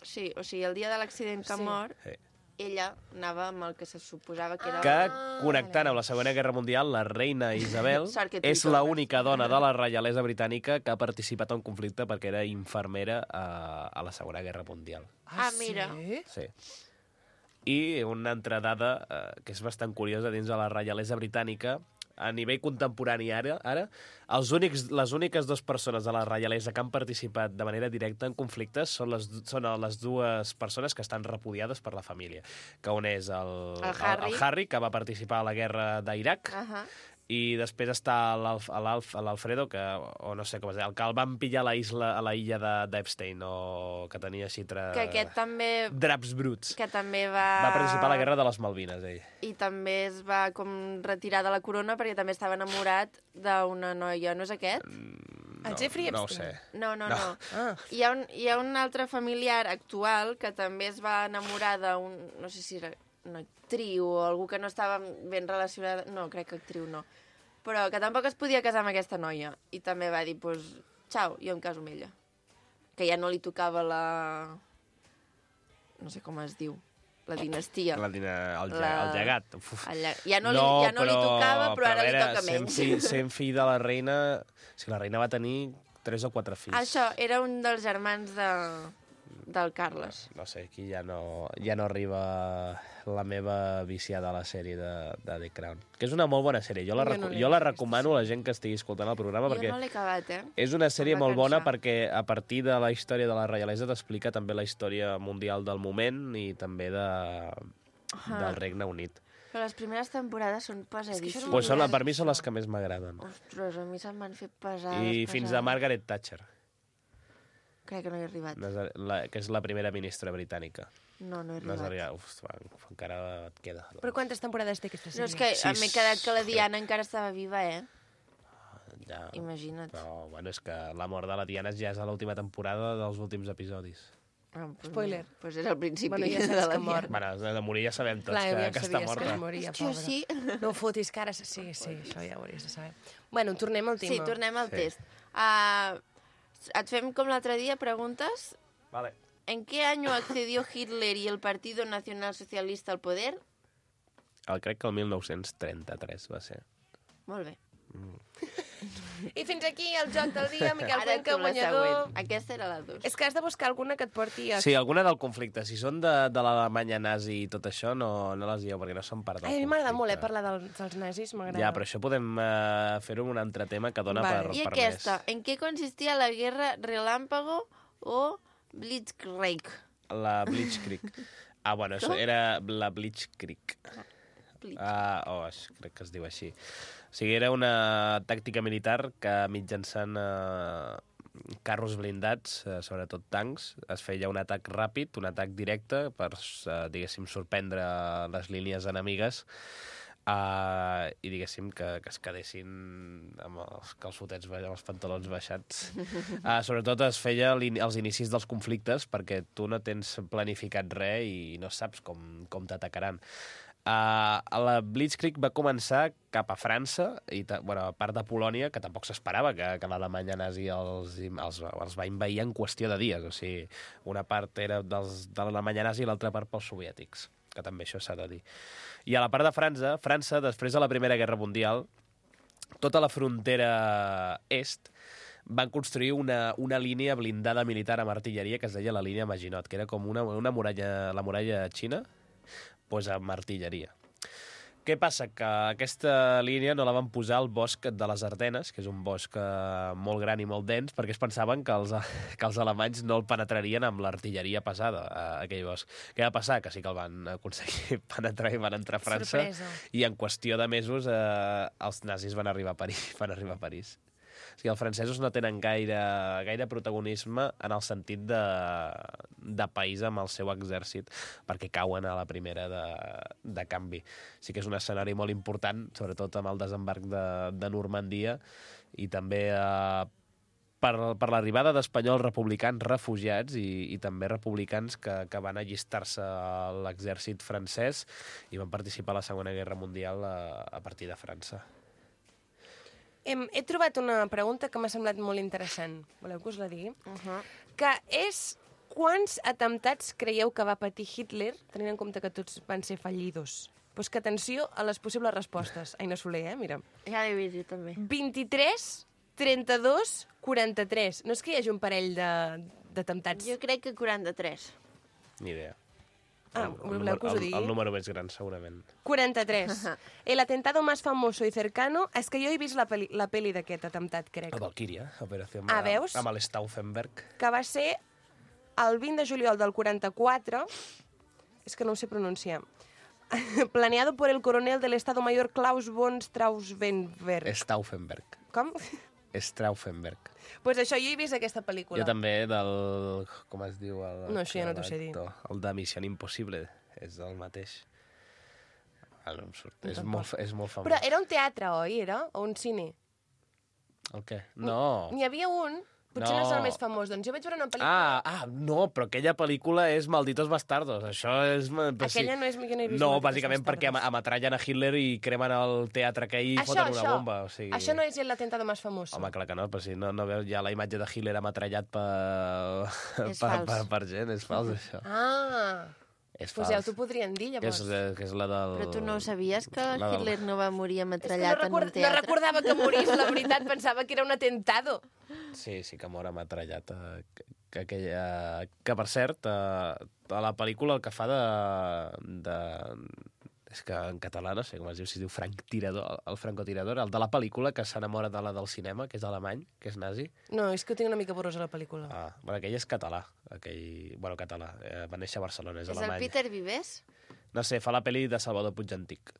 Sí, o sigui, el dia de l'accident que Sí. mor, Sí. ella anava amb el que se suposava que era... Que, connectant amb la Segona Guerra Mundial, la reina Isabel Sort que tu és hi tornes. l'única dona de la reialesa britànica que ha participat en un conflicte perquè era infermera a, a la Segona Guerra Mundial. Ah, mira. Sí? Sí. I una altra dada eh, que és bastant curiosa dins de la reialesa britànica, a nivell contemporani ara, ara els únics, les úniques dues persones de la reialesa que han participat de manera directa en conflictes són les, són les dues persones que estan repudiades per la família, que un és el, El Harry. el Harry, que va participar a la guerra d'Iraq, Uh -huh. i després està l'Alf- l'Alf- l'Alfredo, que, o no sé com es diu, el que el van pillar a la, isla, a la illa de- d'Epstein, o que tenia xitre... Que aquest també... Draps bruts. Que també va... Va participar a la guerra de les Malvines, ell. I també es va com retirar de la corona perquè també estava enamorat d'una noia, no és aquest? El Jeffrey No ho Epstein. sé. No, no, No. no. Ah, Hi ha, un, hi ha un altre familiar actual que també es va enamorar d'un... No sé si era una actriu o algú que no estava ben relacionada... No, crec que actriu no. Però que tampoc es podia casar amb aquesta noia. I també va dir, doncs, pues, xau, jo em caso amb ella. Que ja no li tocava la... No sé com es diu. La dinastia. La, dina, el, La- la... el llegat. Uf. El lla- Ja no, li, ja no li tocava, però ara a li veure, toca sent menys. Fill, sent fill de la reina... Si la reina va tenir tres o quatre fills. Això, era un dels germans de, del Carles. No sé, aquí ja no, ja no arriba la meva viciada a la sèrie de, de The Crown. Que és una molt bona sèrie. Jo la, Jo reco no l'he jo la vist, recomano a la gent que estigui escoltant el programa Jo perquè no l'he acabat, eh? és una sèrie Em va molt bona cansar. perquè a partir de la història de la reialesa t'explica també la història mundial del moment i també de, del Regne Unit. Però les primeres temporades són pesadíssimes. Pues són, per mi són les que més m'agraden. Ostres, a mi se'm van fer pesades, I pesades. fins a Margaret Thatcher, Crec que no he arribat. no és la, que és la primera ministra britànica. No, no he No és arribat. arribat. Uf, va, encara et queda. però quantes temporades té aquesta No, sèrie? és que Sis. m'he quedat que la Diana encara estava viva, eh? Ja, Imagina't. però, bueno, és que la mort de la Diana ja és a l'última temporada dels últims episodis. Ah, pues Spoiler. No. Pues era el principi Bueno, ja de saps la que mor. Diana. Bueno, de morir ja sabem tots Clar, que, ja que està sabies morta. que es moria, Hòstia, pobra. sí. No ho fotis, que ara... Sí, sí, això ja ho hauries de saber. Bueno, tornem al tema. Sí, tornem al Sí. test. Uh, et fem com l'altre dia preguntes. Vale. ¿En qué año accedió Hitler y el Partido Nacional Socialista al poder? El, crec que el mil nou-cents trenta-tres va ser. Molt bé. Mm. I fins aquí el joc del dia, Miquel Ara Cuenca, tu la guanyador. següent. Aquesta era la dos. És que has de buscar alguna que et porti a... Sí, alguna del conflicte. Si són de, de l'Alemanya nazi i tot això, no, no les dieu, perquè no són part del Ai, a mi conflicte. m'agrada molt, eh, parlar del, dels nazis, m'agrada. Ja, però això podem uh, fer-ho en un altre tema que dona Vale. per, I per aquesta, més. en què consistia la guerra relámpago o Blitzkrieg? La Blitzkrieg. Ah, bueno, això era la Blitzkrieg. Blitz. Ah, oh, crec que es diu així. O sigui, era una tàctica militar que mitjançant eh, carros blindats, eh, sobretot tancs, es feia un atac ràpid, un atac directe per, eh, diguéssim, sorprendre les línies enemigues Uh, i diguéssim que, que es quedessin amb els calçotets, amb els pantalons baixats. Uh, sobretot es feia als inicis dels conflictes perquè tu no tens planificat res i no saps com, com t'atacaran. Uh, la Blitzkrieg va començar cap a França, i bueno, a part de Polònia, que tampoc s'esperava que, que l'Alemanya nazi els, els, els va invair en qüestió de dies. O sigui, una part era dels, de l'Alemanya nazi i l'altra part pels soviètics, que també això s'ha de dir. I a la part de França, França, després de la Primera Guerra Mundial, tota la frontera est van construir una, una línia blindada militar amb artilleria que es deia la línia Maginot, que era com una, una muralla, la muralla xina, doncs amb artilleria. Què passa? Que aquesta línia no la van posar al bosc de les Ardenes, que és un bosc molt gran i molt dens, perquè es pensaven que els, que els alemanys no el penetrarien amb l'artilleria pesada, a aquell bosc. Què va passar? Que sí que el van aconseguir penetrar i van entrar a França. Sorpresa. I en qüestió de mesos eh, els nazis van arribar a París. Van arribar a París. O sigui, els francesos no tenen gaire, gaire protagonisme en el sentit de, de país amb el seu exèrcit, perquè cauen a la primera de, de canvi. Sí que és un escenari molt important, sobretot amb el desembarc de, de Normandia, i també eh, per, per l'arribada d'espanyols republicans refugiats i, i també republicans que, que van allistar-se a l'exèrcit francès i van participar a la Segona Guerra Mundial a, a partir de França. Hem, he trobat una pregunta que m'ha semblat molt interessant. Voleu que us la digui? Uh -huh. Que és, quants atemptats creieu que va patir Hitler, tenint en compte que tots van ser fallidos? Pues que atenció a les possibles respostes. Aina Soler, eh? Mira. Ja l'he vist jo també. vint-i-tres, trenta-dos, quaranta-tres. No és que hi hagi un parell de- d'atemptats. Jo crec que quaranta-tres. Ni idea. Ah, el, voleu que us ho el, digui? el número més gran, segurament. quaranta-tres. El atentado más famoso y cercano... És que jo he vist la peli, la peli d'aquest atemptat, crec. La Valkyria, Operació Ah, veus? amb l'Stauffenberg. Que va ser el vint de juliol del quaranta-quatre, és que no ho sé pronunciar, planeado por el coronel del Estado Mayor Klaus von Stauffenberg. Stauffenberg. Com? Stauffenberg. Pues això, jo he vist aquesta pel·lícula. Jo també del... Com es diu? El, No, això ja no t'ho sé dir. l'actor? El de Missió Impossible. És el mateix. Ah, no em surt. És Tampoc. molt, és molt famós. Però era un teatre, oi? Era? O un cine? El què? No. N'hi havia un, potser no. No. és el més famós, doncs jo vaig veure una pel·lícula... Ah, ah, no, però aquella pel·lícula és Malditos Bastardos. Això és... però sí. Aquella no és... Jo no he vist No, Malditos bàsicament perquè Bastardos. am ametrallen a Hitler i cremen el teatre aquell i Això, foten una això. bomba. O sigui... Això no és l'atentado més famós. Home, clar que no, però si no, no veus ja la imatge de Hitler ametrallat per, És per, fals. per, per gent, és fals, això. Ah, És doncs fals. ja t'ho podrien dir, que és, llavors. que és la del... Però tu no sabies que la del- Hitler no va morir És que no, ametrallat en record... un no teatre? recordava que morís, la veritat, pensava que era un atentado. Sí, sí que mor ametrallat. Eh, que, que, aquella... que, per cert, eh, a la pel·lícula el que fa de... de... És que en català no sé com es diu, si es diu Frank Tirador, el francotirador, el de la pel·lícula que s'enamora de la del cinema, que és alemany, que és nazi. No, és que ho tinc una mica borrosa, la pel·lícula. Ah, bueno, aquell és català. Aquell... Bueno, català. Eh, va néixer a Barcelona, és, És el alemany. Peter Vives? No sé, fa la pel·li de Salvador Puig Antic.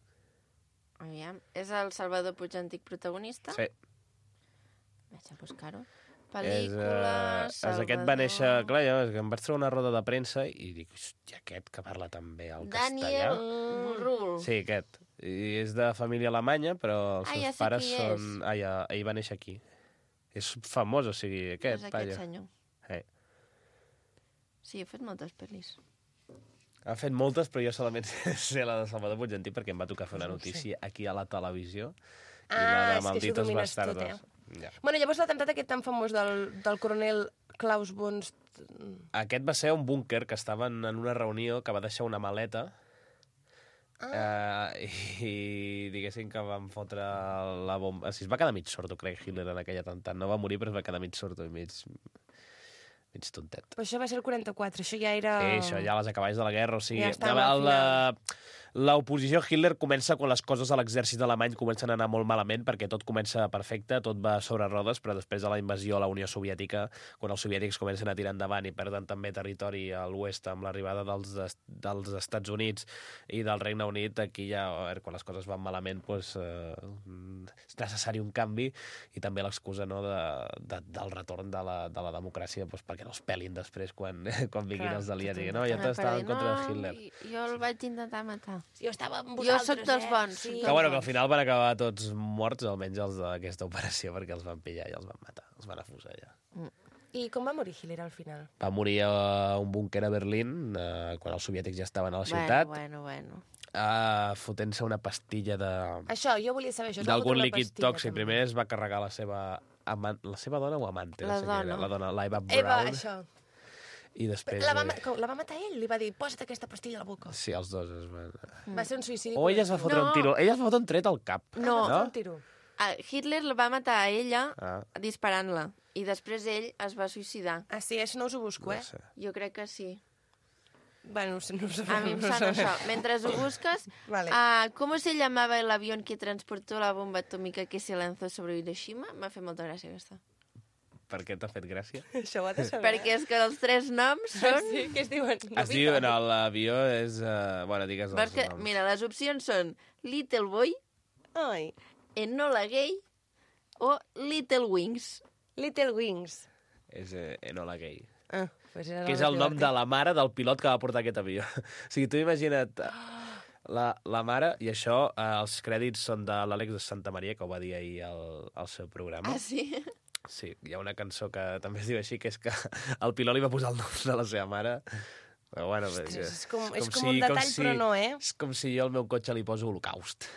Aviam, és el Salvador Puig Antic protagonista? Sí. Vaig a buscar-ho. És, Pel·lícula, eh, és aquest va néixer... Clar, jo, és que em vaig treure una roda de premsa i dic, hòstia, aquest que parla també el Daniel castellà. Burrul. Sí, aquest. I és de família alemanya, però els Ah, seus ja sé pares qui són... és. Ah, ja, ell va néixer aquí. És famós, o sigui, aquest, És aquest vaja. senyor. Eh. Sí, he fet moltes pel·lis. Ha fet moltes, però jo solament sé la de Salvador Puig Antic perquè em va tocar fer una No ho sé. notícia aquí a la televisió. I Ah, la és de que això ho Malditos domines tot, Bastardos. Ja. Bueno, llavors l'atemptat aquest tan famós del, del coronel Klaus von... St- Aquest va ser un búnquer que estaven en una reunió que va deixar una maleta Ah. Uh, I diguéssim que van fotre la bomba... O sigui, es va quedar mig sordo, crec, Hitler, en aquell atemptat. No va morir, però es va quedar mig sordo i mig... mig tontet. Però això va ser el quaranta-quatre, això ja era... Sí, això ja a les acaballes de la guerra, o sigui... Ja estava al final. L'oposició a Hitler comença quan les coses a l'exèrcit alemany comencen a anar molt malament, perquè tot comença perfecte, tot va sobre rodes, però després de la invasió a la Unió Soviètica, quan els soviètics comencen a tirar endavant i perden també territori a l'oest amb l'arribada dels, dels Estats Units i del Regne Unit, aquí ja, a veure, quan les coses van malament, doncs, eh, és necessari un canvi, i també l'excusa, no, de, de, del retorn de la, de la democràcia, doncs, perquè no es pelin després quan, quan vinguin Clar, els aliats. tot No, ja estava en contra de no, Hitler. Jo el vaig intentar matar. Jo estava amb Jo vosaltres, sóc dels eh? bons. Sí. sóc Que, dels bueno, que al bons. final van acabar tots morts, almenys els d'aquesta operació, perquè els van pillar i els van matar, els van afusellar. I com va morir Hitler al final? Va morir a un búnquer a Berlín, eh, quan els soviètics ja estaven a la ciutat, Bueno, bueno, bueno. eh, fotent-se una pastilla de... Això, jo volia saber això. es va d'algun fotre una líquid pastilla, tòxic. també. Primer es va carregar la seva, amant, la seva dona o amante? La no sé què era. dona. La dona, la Eva Eva, Braun. això. I després... La va, eh, ma- com, la va matar ell, li va dir, posa't aquesta pastilla a la boca. Sí, els dos es van... Va ser un suïcidi. O ella es va fotre No. un tiro. Ella es va fotre un tret al cap. No. Va fer no? un tiro. Ah, Hitler la va matar a ella Ah, disparant-la. I després ell es va suïcidar. Ah, sí, això no us ho busco, no eh? sé. Jo crec que sí. Bueno, no sé, no ho sabem. A mi em no ho sona sabem. això. Mentre ho busques, Vale. ah, ¿cómo se llamaba el avión que transportó la bomba atómica que se lanzó sobre Hiroshima? M'ha fet molta gràcia aquesta. Per què t'ha fet gràcia? Això ho ha de saber. Perquè és que els tres noms són... Sí, que es diuen... Es diu, no, l'avió és... Uh, bueno, digues Vols els que... noms. Mira, les opcions són Little Boy, Ai, Enola Gay o Little Wings. Little Wings. És eh, Enola Gay. Ah, pues era Que és el nom de la mare del pilot que va portar aquest avió. O sigui, tu imagina't eh, la, la mare, i això, eh, els crèdits són de l'Àlex de Santa Maria, que ho va dir ahir al, al seu programa. Ah, sí? Sí, hi ha una cançó que també es diu així, que és que el pilot li va posar el nom de la seva mare. Però bueno, Ostres, és, és com, és com com si- un com detall, si- però no, eh? és com si jo al meu cotxe li poso Holocaust.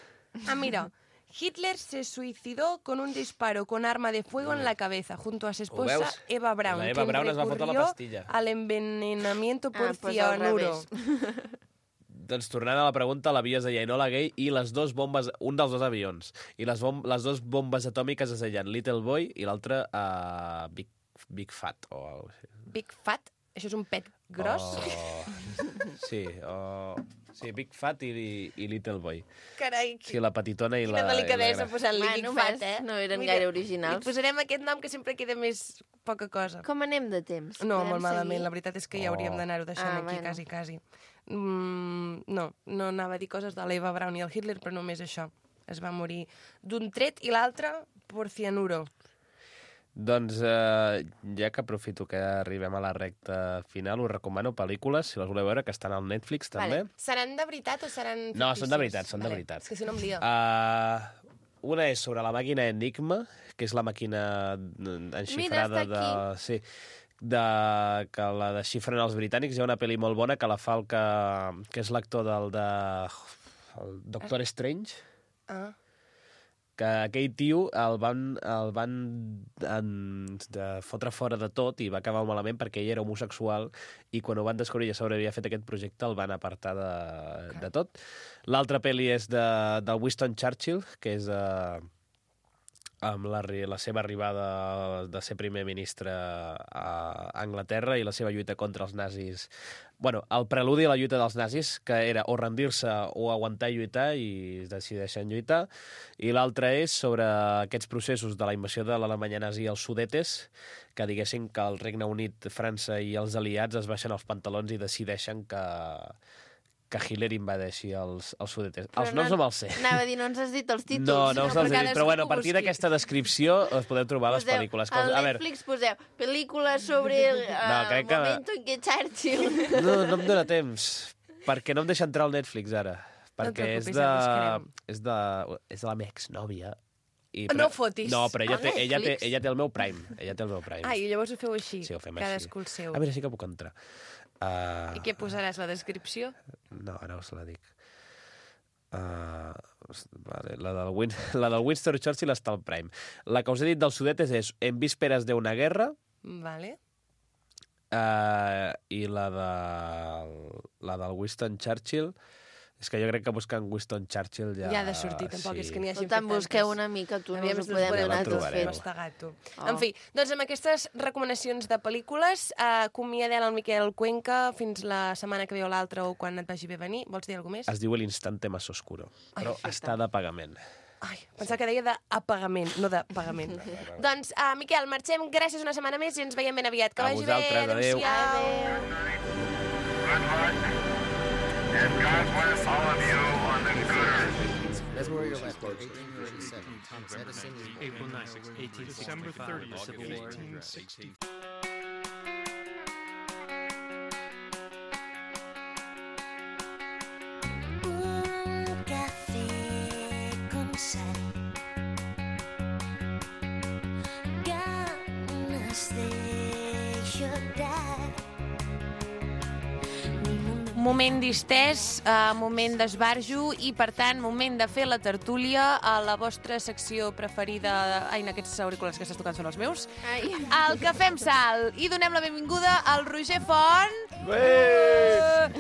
Ah, mira. Hitler se suicidó con un disparo con arma de fuego en la cabeza junto a su esposa veus? Eva Braun, La Eva quien Braun es va fotre la recurrió pastilla. al envenenamiento por Ah, pues al cianuro. revés. Doncs tornant a la pregunta, l'avió es deia Enola Gay i les dos bombes, un dels dos avions, i les, bom les dos bombes atòmiques es deien Little Boy i l'altre uh, Big, Big Fat o alguna cosa així. Big Fat, això és un pet gros. O... Sí, o... sí, Big Fat i, i Little Boy. Carai, Sí, la petitona i la... quina delicadesa i la... posant-li Bueno, Big Fat, ves, eh? no eren Mira, gaire originals. Li posarem aquest nom que sempre queda més poca cosa. Com anem de temps? No, Podem molt malament. seguir? La veritat és que ja Oh. hauríem d'anar-ho deixant Ah, aquí, bueno. quasi, quasi. Mm, no, no anava a dir coses de l'Eva Braun i el Hitler, però només això. Es va morir d'un tret i l'altre por cianuro. Doncs eh, ja que aprofito que arribem a la recta final, us recomano pel·lícules, si les voleu veure, que estan al Netflix també. Vale. Seran de veritat o seran fictícies? No, són de veritat, són de Vale. veritat. És que si no em lio. Uh, una és sobre la màquina Enigma, que és la màquina enxifrada Mira, està de... Sí, de, que la desxifren els britànics. Hi ha una pel·li molt bona que la fa el que, que és l'actor del de... el Doctor Strange, Ah. que aquell tio el van, el van en, de fotre fora de tot i va acabar malament perquè ell era homosexual i quan ho van descobrir ja s'hauria fet aquest projecte el van apartar de, de tot. L'altra pel·li és de, del Winston Churchill, que és eh, amb la, la seva arribada de ser primer ministre a Anglaterra i la seva lluita contra els nazis. Bueno, el preludi a la lluita dels nazis, que era o rendir-se o aguantar i lluitar, i decideixen lluitar. I l'altre és sobre aquests processos de la invasió de l'Alemanya nazi als Sudetes, que diguessin que el Regne Unit, França i els aliats es baixen els pantalons i decideixen que, que Hitler invadeixi els, els Sudetes. Però Els noms no me'ls sé. Anava a dir, no ens has dit els títols. No, no us els he perquè dit, però bueno, a cadascú partir busqui. d'aquesta descripció us podeu trobar les Poseu, pel·lícules. Al a veure, Netflix poseu pel·lícules sobre el No, crec que- momento en què Churchill... no, no em dóna temps, perquè no em deixa entrar al Netflix ara. Perquè et és, preocupis, de, ja ho buscarem. és, de, és de la meva exnòvia. I, No fotis. No, però ella A té, ella, té, Netflix? ella té el meu Prime. Ella té el meu Prime. Ah, i llavors ho feu així. Sí, ho fem Cadascú el així. seu. Ah, mira, sí que puc entrar. Uh, I què posaràs, la descripció? No, ara us la dic. Uh, vale, la, del Win la del Winston Churchill està al Prime. La que us he dit dels Sudetes és En vísperas de una guerra, Vale. uh, i la, de, la del Winston Churchill És que jo crec que buscant Winston Churchill ja... Ja ha de sortir, tampoc és que n'hi hagi fet Tant tantes. busqueu una mica, tu, no Aviam us si ho podem podem donar tot trobareu. fet. mastegar, tu. Oh. En fi, doncs amb aquestes recomanacions de pel·lícules, eh, acomiadem el Miquel Cuenca fins la setmana que ve o l'altra o quan et vagi bé venir. Vols dir alguna cosa més? Es diu l'instante más oscuro, però Ai, està de pagament. Ai, pensava que deia d'apagament, no de pagament. Doncs, uh, Miquel, marxem. Gràcies una setmana més i ens veiem ben aviat. Que A vagi vosaltres, bé. adéu. And God bless all of you on the Gooders. That's where you're left. eighteen thirty-seven. Thomas Edison is born. April ninth, eighteen sixty-five. December thirtieth, eighteen sixty. Un café con sal, ganas de llorar. Moment distès, uh, moment d'esbarjo i, per tant, moment de fer la tertúlia a la vostra secció preferida. Ai, en aquests auriculars que estàs tocant són els meus. Ai. El Cafè amb Sal. I donem la benvinguda al Roger Font. Ué!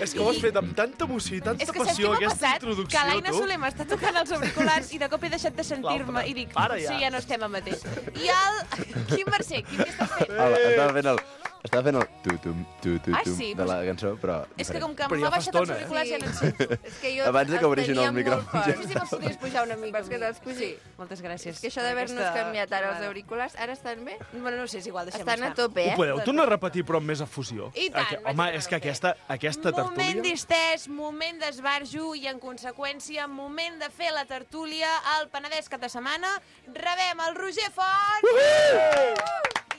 És que ho has fet amb tanta emoció i tanta És que saps passió, què m'ha aquesta passat? introducció, Que l'Aina tu. Soler m'està tocant els auriculars i de cop he deixat de sentir-me L'altre. i dic, Para ja. sí, ja no estem al mateix. I el Quim Mercè, Quim, què estàs fent? Hola, estava fent el... Estava fent el tu-tum, tu-tu-tum Ah, sí? de la cançó, però... És que com que Però m'ha ja fa baixat els estona, eh? auriculars ja no en sento. És que jo Abans de que els obrissin tenia el micròfon. molt forts. No sé si me'ls podries pujar una mica. Vols que te'ls pugi? Moltes gràcies. És que això d'haver-nos Aquesta- canviat ara els auriculars, ara estan bé? Bueno, no sé, és igual, deixem Estan a estar. tope, Ho eh? podeu tornar a repetir, però amb més efusió? I tant, Aqu- vaig Home, tornar és que a fer. aquesta, aquesta Moment tertúlia... distès, moment d'esbarjo i, en conseqüència, moment de fer la tertúlia al Penedès cap de setmana. Rebem el Roger Font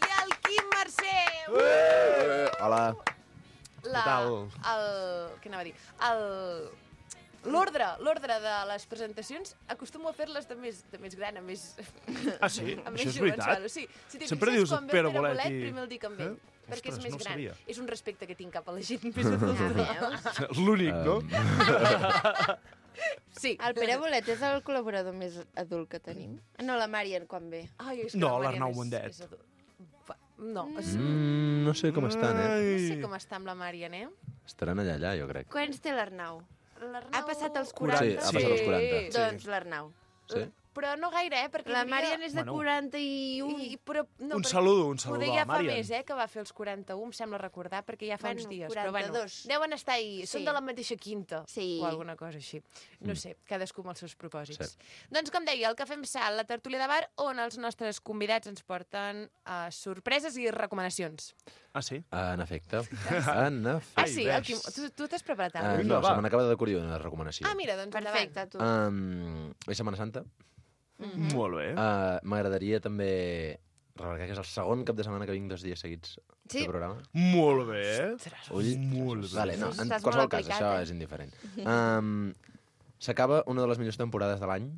i el Quim Mercè. Eh, Hola. La, Què tal? el, què anava a dir? El, l'ordre, l'ordre de les presentacions acostumo a fer-les de més, de més gran a més... Ah, sí? a Això més és veritat? jovençalo, sí. Si t'hi Sempre fixes, dius quan ve Pere el Pere Bolet Bolet, i- primer el dic amb ell, Eh? perquè Ostres, és més no ho gran. sabia. És un respecte que tinc cap a la gent més adulta. L'únic, no? Sí. El Pere Bolet és el col·laborador més adult que tenim? No, la Marian, quan ve. Ai, és que No, la Mariana l'Arnau és- Mundet. és adult. Fa- No, és... Mm, no sé com estan, eh? no sé com està amb la Marian, eh? Estaran allà, allà, jo crec. Quants té l'Arnau? L'Arnau... Ha passat els quaranta. Sí, ha passat els quaranta. Sí. Doncs l'Arnau. Sí? Però no gaire, eh? Perquè La hi havia- Marian és de Bueno. quaranta-i-un. I, però, no, Un perquè saludo, un saludo Poder a ja la fa Marian. més, eh, que va fer els quaranta-un, em sembla recordar, perquè ja fa Bueno, uns dies. quaranta-dos. Però bueno, deuen estar ahí, són Sí. de la mateixa quinta. Sí. O alguna cosa així. No sé, cadascú amb els seus propòsits. Cert. Doncs, com deia, el Cafè amb Sal, la tertúlia de bar, on els nostres convidats ens porten uh, sorpreses i recomanacions. Ah, sí? En efecte. En efecte. Ah, Ai, sí? ves. El Quim, tu tu t'has preparat Uh, alguna no, va. se me n'acaba d'acudir una recomanació. Ah, mira, doncs Perfecte, endavant. tu. Um, és Setmana Santa. Mhm. Molt bé. Uh, M'agradaria també remarcar que és el segon cap de setmana que vinc dos dies seguits Sí. de programa. Molt bé. Ull. Molt bé. Vale, no, en Estàs qualsevol molt cas, aplicat, això eh? és indiferent. Um, S'acaba una de les millors temporades de l'any,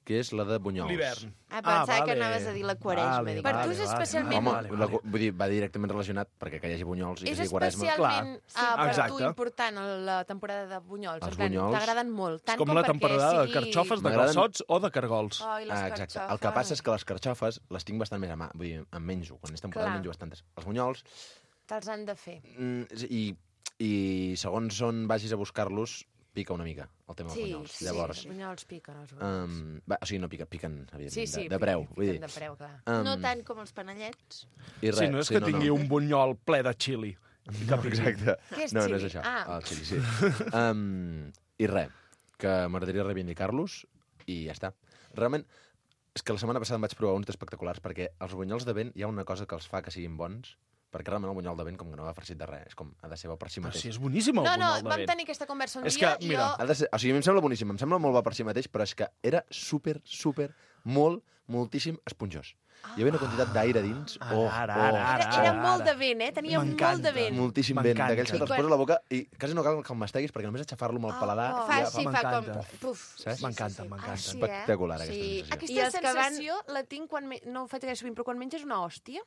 que és la de Bunyols. L'hivern. Ah, pensava Ah, que vale. anaves a dir la quaresma. Vale, dic, Per vale, tu és vale, especialment- Home, vale, la, vale. vull dir, va directament relacionat perquè que hi hagi Bunyols i que És sigui Quaresma. especialment uh, per Exacte. tu important la temporada de Bunyols. Els En plan, bunyols. t'agraden molt. És Tant com la perquè temporada sigui... de carxofes, de M'agraden- calçots o de cargols. Ai, les Ah, exacte. carxofes. El que passa és que les carxofes les tinc bastant més a mà. Vull dir, en menjo. Quan és temporada Clar. en menjo bastantes. Els bunyols, Te'ls han de fer. mm, i, i segons on vagis a buscar-los, pica una mica el tema dels Sí, bunyols. sí, Llavors, els bunyols piquen, els bunyols. um, va, o sigui, no pica, piquen, evidentment, sí, sí, de, de preu. piquen, Vull dir. piquen de preu, clar. Um, No tant com els panellets. I res, Sí, no és sí, que no, tingui no. un bunyol ple de xili. No, exacte. Què és no, no xili? és això. Ah. El xili, sí. um, I res, que m'agradaria reivindicar-los i ja està. Realment, és que la setmana passada em vaig provar uns espectaculars perquè els bunyols de vent hi ha una cosa que els fa que siguin bons, perquè realment el bunyol de vent com que no va farcit de res, és com ha de ser bo per si Però mateix. si és boníssim el No, no, bunyol de vam vent. tenir aquesta conversa un És dia que, i mira, jo... Ha de ser, o sigui, a mi em sembla boníssim, em sembla molt bo per si mateix, però és que era súper, súper, molt, moltíssim esponjós. Hi havia una quantitat d'aire dins. Ara, Oh, ara, oh, ara, Era, era molt de vent, eh? Tenia molt M'encanta. de vent. moltíssim vent, M'encanta. d'aquells que te'ls I quan- poses a la boca i quasi no cal que el masteguis perquè només aixafar-lo amb el Oh, paladar oh. Fa ja així, fa com... m'encanta. Puf. Saps? M'encanta, Ah, m'encanta. sí, eh? espectacular, aquesta Sí. sensació. Aquesta I els que van- sensació la tinc quan... Me... No ho faig gaire sovint, però quan menges una hòstia,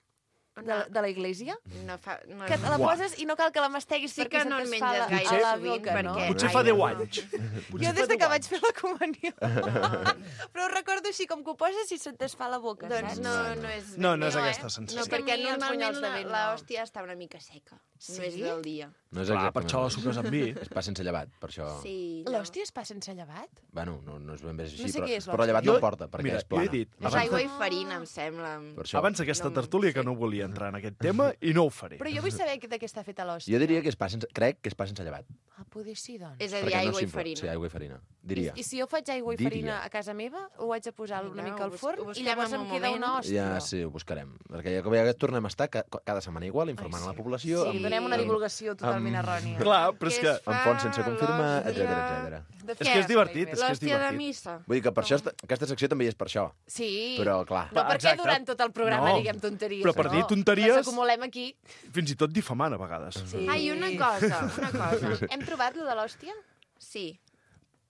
De, de la iglesia? No fa, no, Que te la Uah. poses i no cal que la masteguis Sí perquè que no se en te'n fa menges la, gaire a la sovint, boca, no? perquè- Potser Ai, fa deu no. anys. Potser Jo fa des de deu que vaig anys. fer la comunió. Però ho recordo així, com que ho poses i se't desfà la boca, Doncs saps? no, no és... No, no és ben bé, aquesta eh? sensació. No, perquè A mi els normalment bunyols de la, vent la no. hòstia està una mica seca. Sí? No és del dia. No és Clar, exactament. per això la suques amb vi. És pa sense llevat, per això... Sí, L'hòstia es fa sense llevat? Bueno, no, no és ben bé així, No sé però, què és però l'hòstia. llevat Jo- no en porta, perquè mira, és plana. jo he dit, És abans aigua de- i farina, em sembla. Per això. Abans d'aquesta No, tertúlia que sí. no volia entrar en aquest tema i no ho faré. Però jo vull saber de què està feta l'hòstia. Jo diria que és pa sense... Crec que és pa sense llevat. Ah, poder sí, doncs. És a dir, perquè no aigua és i simple. farina. Sí, aigua i farina. Diria. I, I si jo faig aigua i Diria. farina a casa meva, ho haig de posar una Vinga, mica al ho bus- forn ho i busquem llavors en em un queda moment. una hòstia. Ja, sí, ho buscarem. Perquè ja, ja tornem a estar ca cada setmana igual, informant Ai, a sí. la població... Sí, donem una divulgació totalment amb- errònia. Clar, però és Què que... es Amb fons sense fa confirmar, l'hòstia? etcètera, etcètera. De És que és divertit, és que és L'hòstia de divertit. missa. Vull dir que per això, esta- aquesta secció també hi és per això. Sí. Però, clar... No, perquè Exacte. durant tot el programa No. diguem tonteries. Però per no. dir tonteries- Les acumulem aquí. Fins i tot difamant, a vegades. Sí. Ai, una cosa, una cosa. Hem trobat lo de l'hòstia? Sí.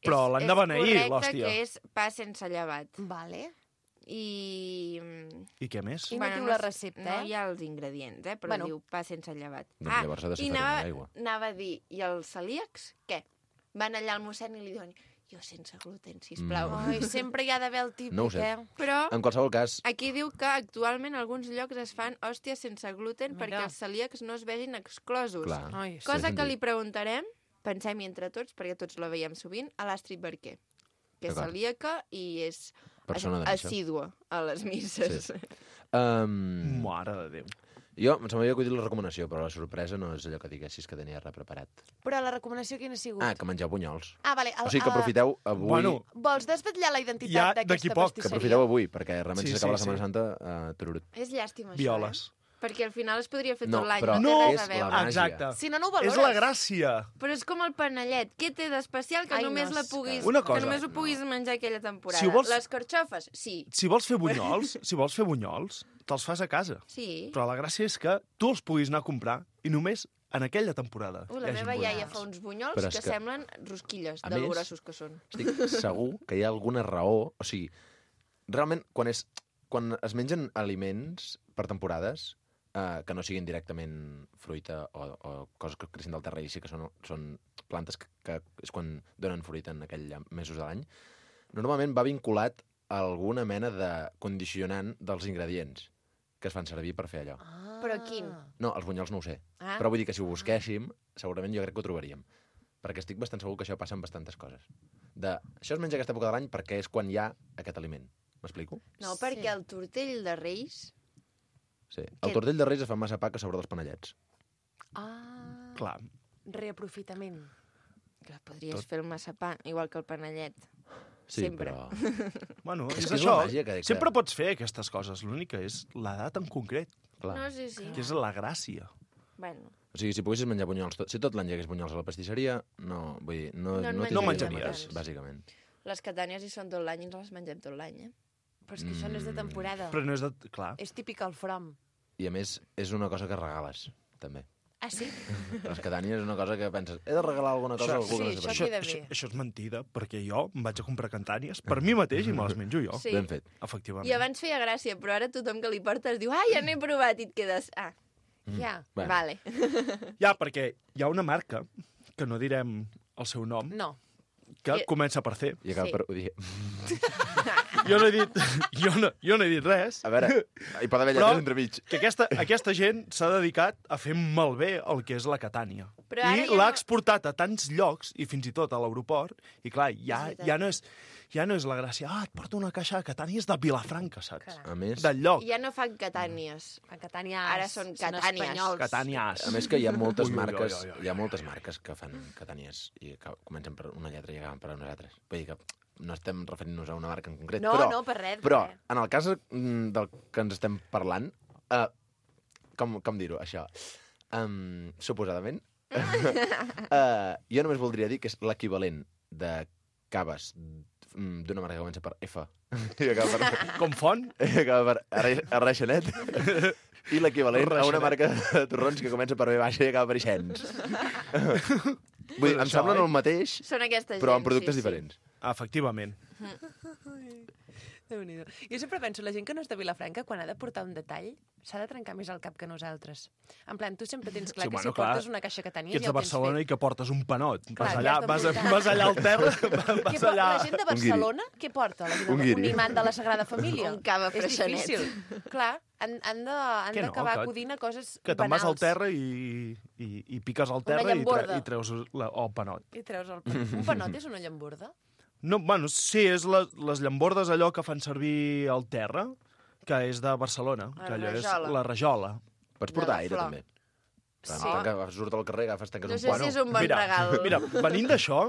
Però És- l'han de beneir, És correcte l'hòstia. que és pa sense llevat. Vale. I... I què més? I no diu la recepta, no eh? hi ha els ingredients, eh? Però Bueno. diu pa sense llevat. Doncs llavors ha de ser i farina anava, d'aigua. anava a dir, i els celíacs, què? Van allà al mossèn i li diuen, jo sense gluten, sisplau. Mm. Ai, sempre hi ha d'haver el típic, No ho sé. eh? Però En qualsevol cas, aquí diu que actualment a alguns llocs es fan hòsties sense gluten Mira. perquè els celíacs no es vegin exclosos. clar... Ai, sí. Cosa Sí, que sí. li preguntarem, pensem-hi entre tots, perquè tots la veiem sovint, a l'Astrid Barquer, que és D'acord. celíaca i és Persona de missa. assídua a les misses. Sí. Um, Mare de Déu. jo, em sembla que he dit la recomanació, però la sorpresa no és allò que diguessis que tenia res preparat. Però la recomanació quina ha sigut? Ah, que mengeu bunyols. Ah, vale. El, O sigui que el- aprofiteu avui... Bueno, Vols desvetllar la identitat Ja, d'aquesta d'aquí poc, que que pastisseria? aprofiteu avui, perquè realment Sí, si s'acaba sí, la Setmana sí. Santa, uh, tururut. És llàstima, això, violes. eh? Perquè al final es podria fer No, tot l'any. però té No, res a és veure. la màgia. Exacte. Si no, no ho valores. És la gràcia. Però és com el panellet. Què té d'especial que Ai, només no, la és puguis, Una que cosa. només ho puguis menjar aquella temporada? Si ho vols- Les carxofes? Sí. Si vols fer bunyols, si vols fer bunyols, te'ls fas a casa. Sí. Però la gràcia és que tu els puguis anar a comprar i només en aquella temporada. Uh, la hi hagi meva bunyols. iaia fa uns bunyols Però que, és que- semblen rosquilles, A de més- grossos que són. Estic segur que hi ha alguna raó... O sigui, realment, quan, és, quan es mengen aliments per temporades, eh, que no siguin directament fruita o, o coses que creixen del terra i sí que són, són plantes que, que és quan donen fruita en aquells mesos de l'any, normalment va vinculat a alguna mena de condicionant dels ingredients que es fan servir per fer allò. Ah. Però quin? No, els bunyols no ho sé. Ah. Però vull dir que si ho busquéssim, segurament jo crec que ho trobaríem. Perquè estic bastant segur que això passa amb bastantes coses. De, això es menja aquesta època de l'any perquè és quan hi ha aquest aliment. M'explico? No, Sí. perquè el tortell de Reis... Sí. El Que- tortell de Reis es fa massa pa que sobre dels panellets. Ah, Clar. reaprofitament. Que podries Tot. fer el massapà, igual que el panellet. Sí, Sempre. però... Bueno, És és, que és això. la màgia que- que- Sempre pots fer aquestes coses. L'únic que és l'edat en concret, Clar. No, sí, sí. que és la gràcia. Bueno, O sigui, si poguessis menjar bunyols... Tot, si tot l'any hi hagués bunyols a la pastisseria, no, vull dir, no, No en no, menjaríem tindríem menjaries. res, bàsicament. les catànies hi són tot l'any i ens les mengem tot l'any, eh? Però és que això no és de temporada. Però no és de... Clar. És típic al from. I a més, és una cosa que regales, també. Ah, sí? Les catànies és una cosa que penses, he de regalar alguna cosa a algú sí, que no sé això per Això, queda això, bé. això és mentida, perquè jo em vaig a comprar cantànies per mi mateix i me les menjo jo. Sí. Ben fet. Efectivament. I abans feia gràcia, però ara tothom que li portes diu, ah, ja n'he provat, i et quedes, ah, Ja. Bueno. vale. Ja, perquè hi ha una marca, que no direm el seu nom, No. que I- comença per C. I acaba Sí. per... Ho dir... Jo no he dit, jo no, jo no he dit res. A veure, hi pot haver Però- lletres entremig. Que aquesta, aquesta gent s'ha dedicat a fer malbé el que és la Catània. Però ara I ja l'ha no- exportat a tants llocs, i fins i tot a l'aeroport, i clar, ja, És veritat. ja, no és, ja no és la gràcia. Ah, et porto una caixa de Catànies de Vilafranca, saps? Caram. A més, Del lloc. Ja no fan catànies. A Catània Ara són catànies. espanyols. Catànies. a més que hi ha moltes Ui, ui, ui, marques, ui, ui, hi ha moltes marques que fan catànies i que comencen per una lletra i acaben per unes altres. Vull dir que no estem referint-nos a una marca en concret, No, però, no, per res, per però res. en el cas mm, del que ens estem parlant, uh, com, com dir-ho, això, um, suposadament, uh, jo només voldria dir que és l'equivalent de caves mm, d'una marca que comença per F i acaba per, Com font? i acaba per Arre- Arreixanet i l'equivalent a una Reixanet. marca de torrons que comença per B baixa i acaba per Ixens. Vull dir, em semblen el mateix, Són aquesta gent, però amb productes sí, sí. diferents. Efectivament. Déu-n'hi-do. Jo sempre penso, la gent que no és de Vilafranca, quan ha de portar un detall, s'ha de trencar més el cap que nosaltres. En plan, tu sempre tens clar Sí, que bueno, si clar, portes una caixa que tenies que ets ja de ho tens Barcelona fet. i que portes un panot. Clar, vas ja allà, has de vas, a, portar. vas allà al terra, Què vas porta allà... la gent de Barcelona? Què porta? La gent Un de... guiri. Un imant de la Sagrada Família? Un cava És freixanet. difícil. Clar, han, han de- han Que no, d'acabar que- acudint a coses Que te'n vas al banals. terra i, i, i piques al Una terra i, tre, llamborda. i treus la, el panot. I treus el panot. Un panot és una llamborda? No, bueno, sí, és la, les llambordes allò que fan servir al terra, que és de Barcelona, La que allò és rajola. la rajola. Pots De portar la aire, flor. també. Sí. Sí. Agafes, surt al carrer, agafes, tanques No un sé pont. si és un bon mira, regal. Mira, venint d'això,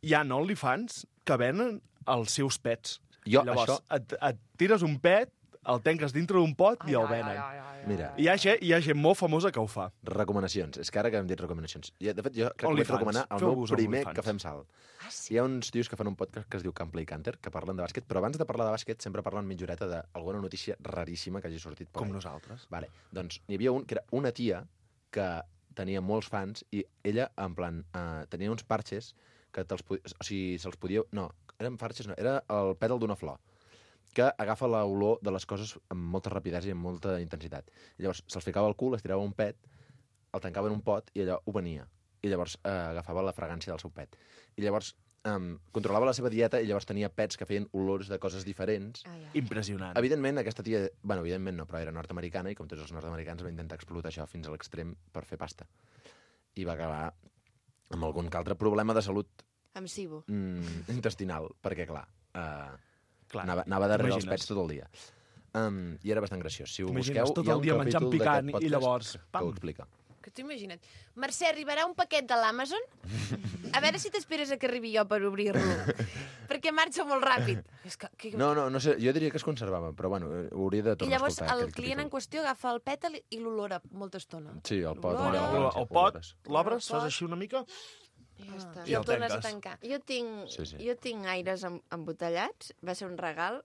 hi ha OnlyFans que venen els seus pets. Jo, Llavors, això- et, et tires un pet, el tanques dintre d'un pot i el venen. Mira, I hi ha, gent, hi ha gent molt famosa que ho fa. recomanacions. És que ara que hem dit recomanacions. I, de fet, jo crec que vaig OnlyFans. recomanar el meu Feu-vos primer OnlyFans. que fem salt. Ah, sí? Hi ha uns tios que fan un podcast que es diu Camp Play Canter, que parlen de bàsquet, però abans de parlar de bàsquet sempre parlen mitja horeta d'alguna notícia raríssima que hagi sortit per Com ahí. nosaltres. Vale. Doncs n'hi havia un que era una tia que tenia molts fans i ella, en plan, uh, tenia uns parxes que te'ls podia... O sigui, se'ls podia... No, eren parxes, no, era el pètal d'una flor que agafa l'olor de les coses amb molta rapidesa i amb molta intensitat. I llavors se'ls ficava al cul, es tirava un pet, el tancava en un pot i allò ho venia. I llavors eh, agafava la fragància del seu pet. I llavors um, controlava la seva dieta i llavors tenia pets que feien olors de coses diferents. Ai, ai. Impressionant. Evidentment, aquesta tia... Bueno, evidentment no, però era nord-americana i com tots els nord-americans va intentar explotar això fins a l'extrem per fer pasta. I va acabar amb algun que altre problema de salut Amb Sibo. mm, intestinal, perquè, clar, uh, Clar, anava, anava darrere els t'imagines. pets tot el dia. Um, I era bastant graciós. Si ho T'imagines busqueu, tot hi ha el un dia menjant capítol picant d'aquest i podcast llavors, que, que pam. ho explica. Que t'ho imagina't. Mercè, arribarà un paquet de l'Amazon? A veure si t'esperes a que arribi jo per obrir-lo. Perquè marxa molt ràpid. És que, que... No, no, no sé, jo diria que es conservava, però bueno, eh, hauria de I tornar llavors a escoltar el aquell client en capítol. qüestió agafa el pètal i l'olora molta estona. Sí, el pot. L'olora. el, El, el pot, l'obres, fas així una mica... I ja està. I I el el tornes a tanques. tancar. Jo tinc, Sí, sí. jo tinc aires em, embotellats, va ser un regal,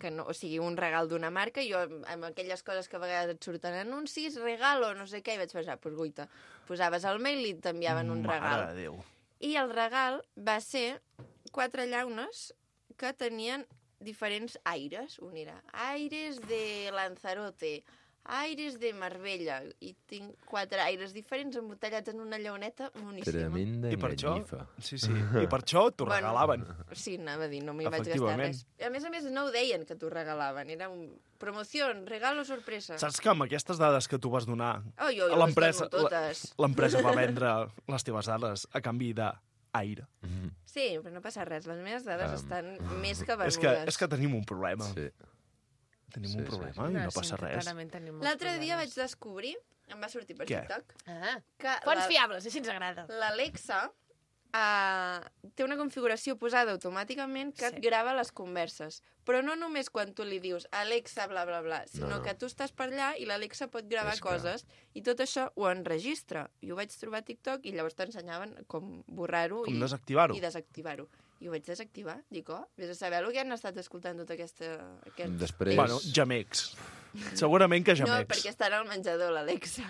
que no, o sigui, un regal d'una marca, jo amb aquelles coses que a vegades et surten anuncis, regalo, no sé què, i vaig pensar, pues guaita, posaves el mail i t'enviaven un regal. Mare de Déu. I el regal va ser quatre llaunes que tenien diferents aires. Un era aires de Lanzarote, aires de Marbella, i tinc quatre aires diferents embotellats en una llauneta moníssima. Tremenda I per això, enganyifa. sí, sí, i per això t'ho Bueno. regalaven. Sí, anava a dir, no m'hi vaig gastar Efectivament. res. A més a més, no ho deien que t'ho regalaven, era un promoció, regalo sorpresa. Saps que amb aquestes dades que tu vas donar, Oi, oi, l'empresa les dono totes. la- l'empresa va vendre les teves dades a canvi d'aire. Sí, però no passa res, les meves dades Um, estan més que És venudes. que, és que tenim un problema. Sí. Tenim Sí, un sí, problema sí. i no passa res. Clarament tenim molts L'altre dia vaig problemes. descobrir, em va sortir per Què? TikTok, Ah, que fonts la- fiables, així ens agrada. l'Alexa uh, té una configuració posada automàticament que Sí. et grava les converses. Però no només quan tu li dius Alexa, bla, bla, bla, sinó No, no. que tu estàs per allà i l'Alexa pot gravar És que- coses i tot això ho enregistra. I ho vaig trobar a TikTok i llavors t'ensenyaven com borrar-ho Com i, desactivar-ho. i desactivar-ho. I ho vaig desactivar. Dic, oh, vés a saber el que han estat escoltant tota aquesta... Aquest... Després... Bueno, gemecs. Segurament que No, gemecs. perquè estarà al menjador, l'Alexa.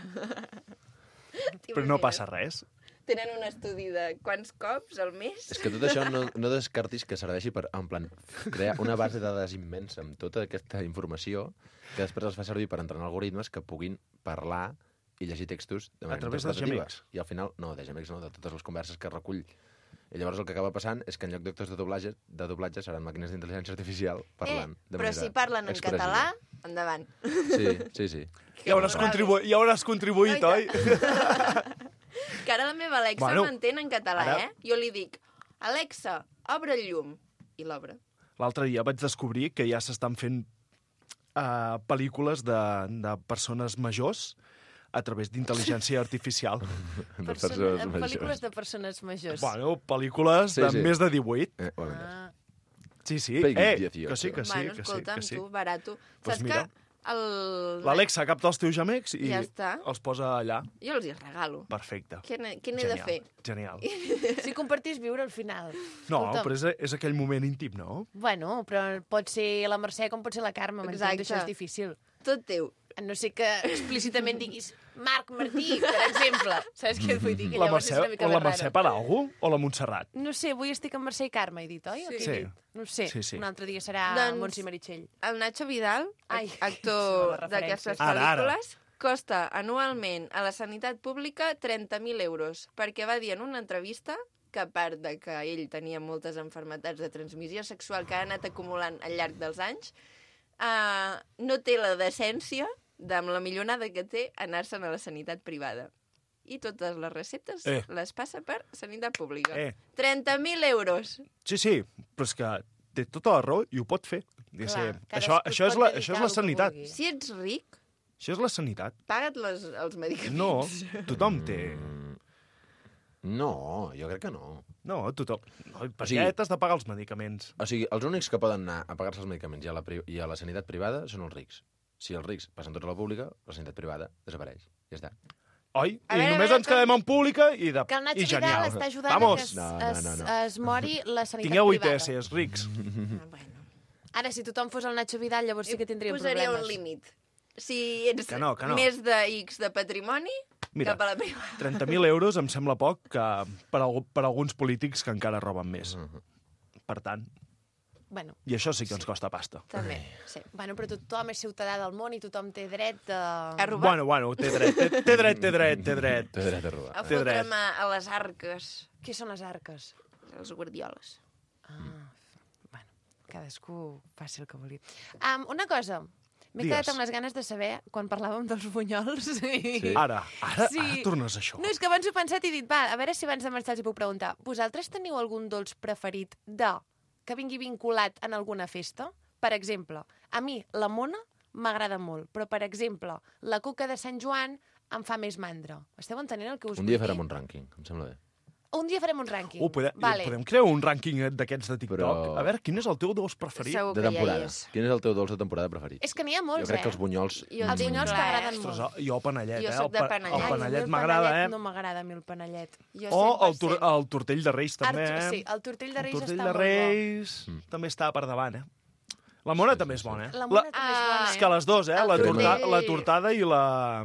Però no passa res. Tenen un estudi de quants cops al mes. És que tot això no, no descartis que serveixi per, en plan, crear una base de dades immensa amb tota aquesta informació que després es fa servir per entrenar algoritmes que puguin parlar i llegir textos de manera A través dels interpretativa. gemecs. I al final, no, de gemecs no, de totes les converses que recull. I llavors el que acaba passant és que en lloc d'actors de doblatge, de doblatge seran màquines d'intel·ligència artificial parlant eh, de però manera si parlen en expressiva. català, endavant. Sí, sí, sí. Ja hauràs, contribu ja hauràs contribuït, oi? Que ara la meva Alexa Bueno, bueno, m'entén en català, ara- eh? Jo li dic, Alexa, obre el llum. I l'obre. L'altre dia vaig descobrir que ja s'estan fent uh, pel·lícules de, de persones majors a través d'intel·ligència artificial. De Persona, persones en majors. pel·lícules de persones majors. Bueno, pel·lícules Sí, de sí. més de divuit. Eh, bueno, Ah, Sí, sí. Peggy Eh, dieciocho. que sí, que sí, bueno, que sí, escolta'm, que sí. tu, barato. Pues Saps mira. que el... L'Alexa capta els teus gemecs i Ja està. els posa allà. Jo els hi regalo. Perfecte. Què n'he què n'he de Genial, fer? Genial. si compartís viure al final. No, Escolta'm. però és, és aquell moment íntim, no? Bueno, però pot ser la Mercè com pot ser la Carme, m'entens? Exacte. Això és difícil. Tot teu. A no sé que explícitament diguis Marc Martí, per exemple. Saps què et vull dir? Que La llavors Mercè, és una mica o la més Mercè raro. Paralgo o la Montserrat? No sé, avui estic amb Mercè i Carme, he dit, oi? O Sí. què he Sí. dit? No ho sé, Sí, sí. un altre dia serà Doncs- Montse i Meritxell. El Nacho Vidal, Ai, actor les d'aquestes referències. Ara, ara. pel·lícules, costa anualment a la sanitat pública trenta mil euros, perquè va dir en una entrevista que a part de que ell tenia moltes malalties de transmissió sexual que ha anat acumulant al llarg dels anys, uh, no té la decència, de, amb la millonada que té, anar-se'n a la sanitat privada. I totes les receptes Eh. les passa per sanitat pública. Eh. trenta mil euros. Sí, sí, però és que té tota la raó i ho pot fer. Diguéssim. Clar, Això, cadascú això, és pot la, dedicar això és la al que sanitat. vulgui. Si ets ric, Això és la sanitat. paga't les, els medicaments. No, tothom té... No, jo crec que no. No, tothom... No, per O sigui- què t'has de pagar els medicaments? O sigui, els únics que poden anar a pagar-se els medicaments i a, la pri i a la sanitat privada són els rics. Si els rics passen tots a la pública, la sanitat privada desapareix. Ja està. Oi? A I veure, només a veure, ens quedem en pública i, de... Que el Nacho i Vidal genial. està ajudant Vamos. a que es, No, no, es, no, no. es mori la sanitat Tingueu privada. I T S, rics. Ara, si tothom fos el Nacho Vidal, llavors sí que tindríem Posaria problemes. un límit. Si ets Que no, que no. més de X de patrimoni, Mira, cap a la privada. trenta mil euros em sembla poc que per, algú, per alguns polítics que encara roben més. Per tant, Bueno, i això sí que ens costa pasta. També, sí. bueno, però tothom és ciutadà del món i tothom té dret a... A robar. Bueno, bueno, té dret, té, té dret, té dret, té dret. Té dret a robar. A Té dret. fotre'm a, a les arques. Què són les arques? Els guardioles. Ah, bueno, cadascú faci el que vulgui. Um, una cosa, m'he Digues. quedat amb les ganes de saber, quan parlàvem dels bunyols... I... Sí. Ara, ara, Sí. ara tornes a això. No, és que abans ho he pensat i he dit, va, a veure si abans de marxar els hi puc preguntar. Vosaltres teniu algun dolç preferit de que vingui vinculat en alguna festa? Per exemple, a mi la mona m'agrada molt, però, per exemple, la cuca de Sant Joan em fa més mandra. Esteu entenent el que us Un vull dia dir? farem un rànquing, em sembla bé. Un dia farem un rànquing. Uh, podem, vale. podem crear un rànquing d'aquests de TikTok? Però- A veure, quin és el teu dolç preferit? Segur De que ja hi temporada. és. Quin és el teu dolç de temporada preferit? És que n'hi ha molts, Jo crec eh? que els bunyols... Jo Els tinc bunyols clar, m'agraden eh? molt. Ostres, jo panellet, Jo eh? soc El, de pa- panellet. el Ai, panellet el m'agrada, panellet eh? No m'agrada a mi el panellet. Jo O cent per el, tur cent. el tortell de Reis, també, Art- eh? Sí, el tortell de Reis el tortell està de molt Reis Mm. també està per davant, eh? La mona també és bona, eh? bo. La mona també és bona, És eh? que les dues, eh? El La, tortell- torta, la tortada i la,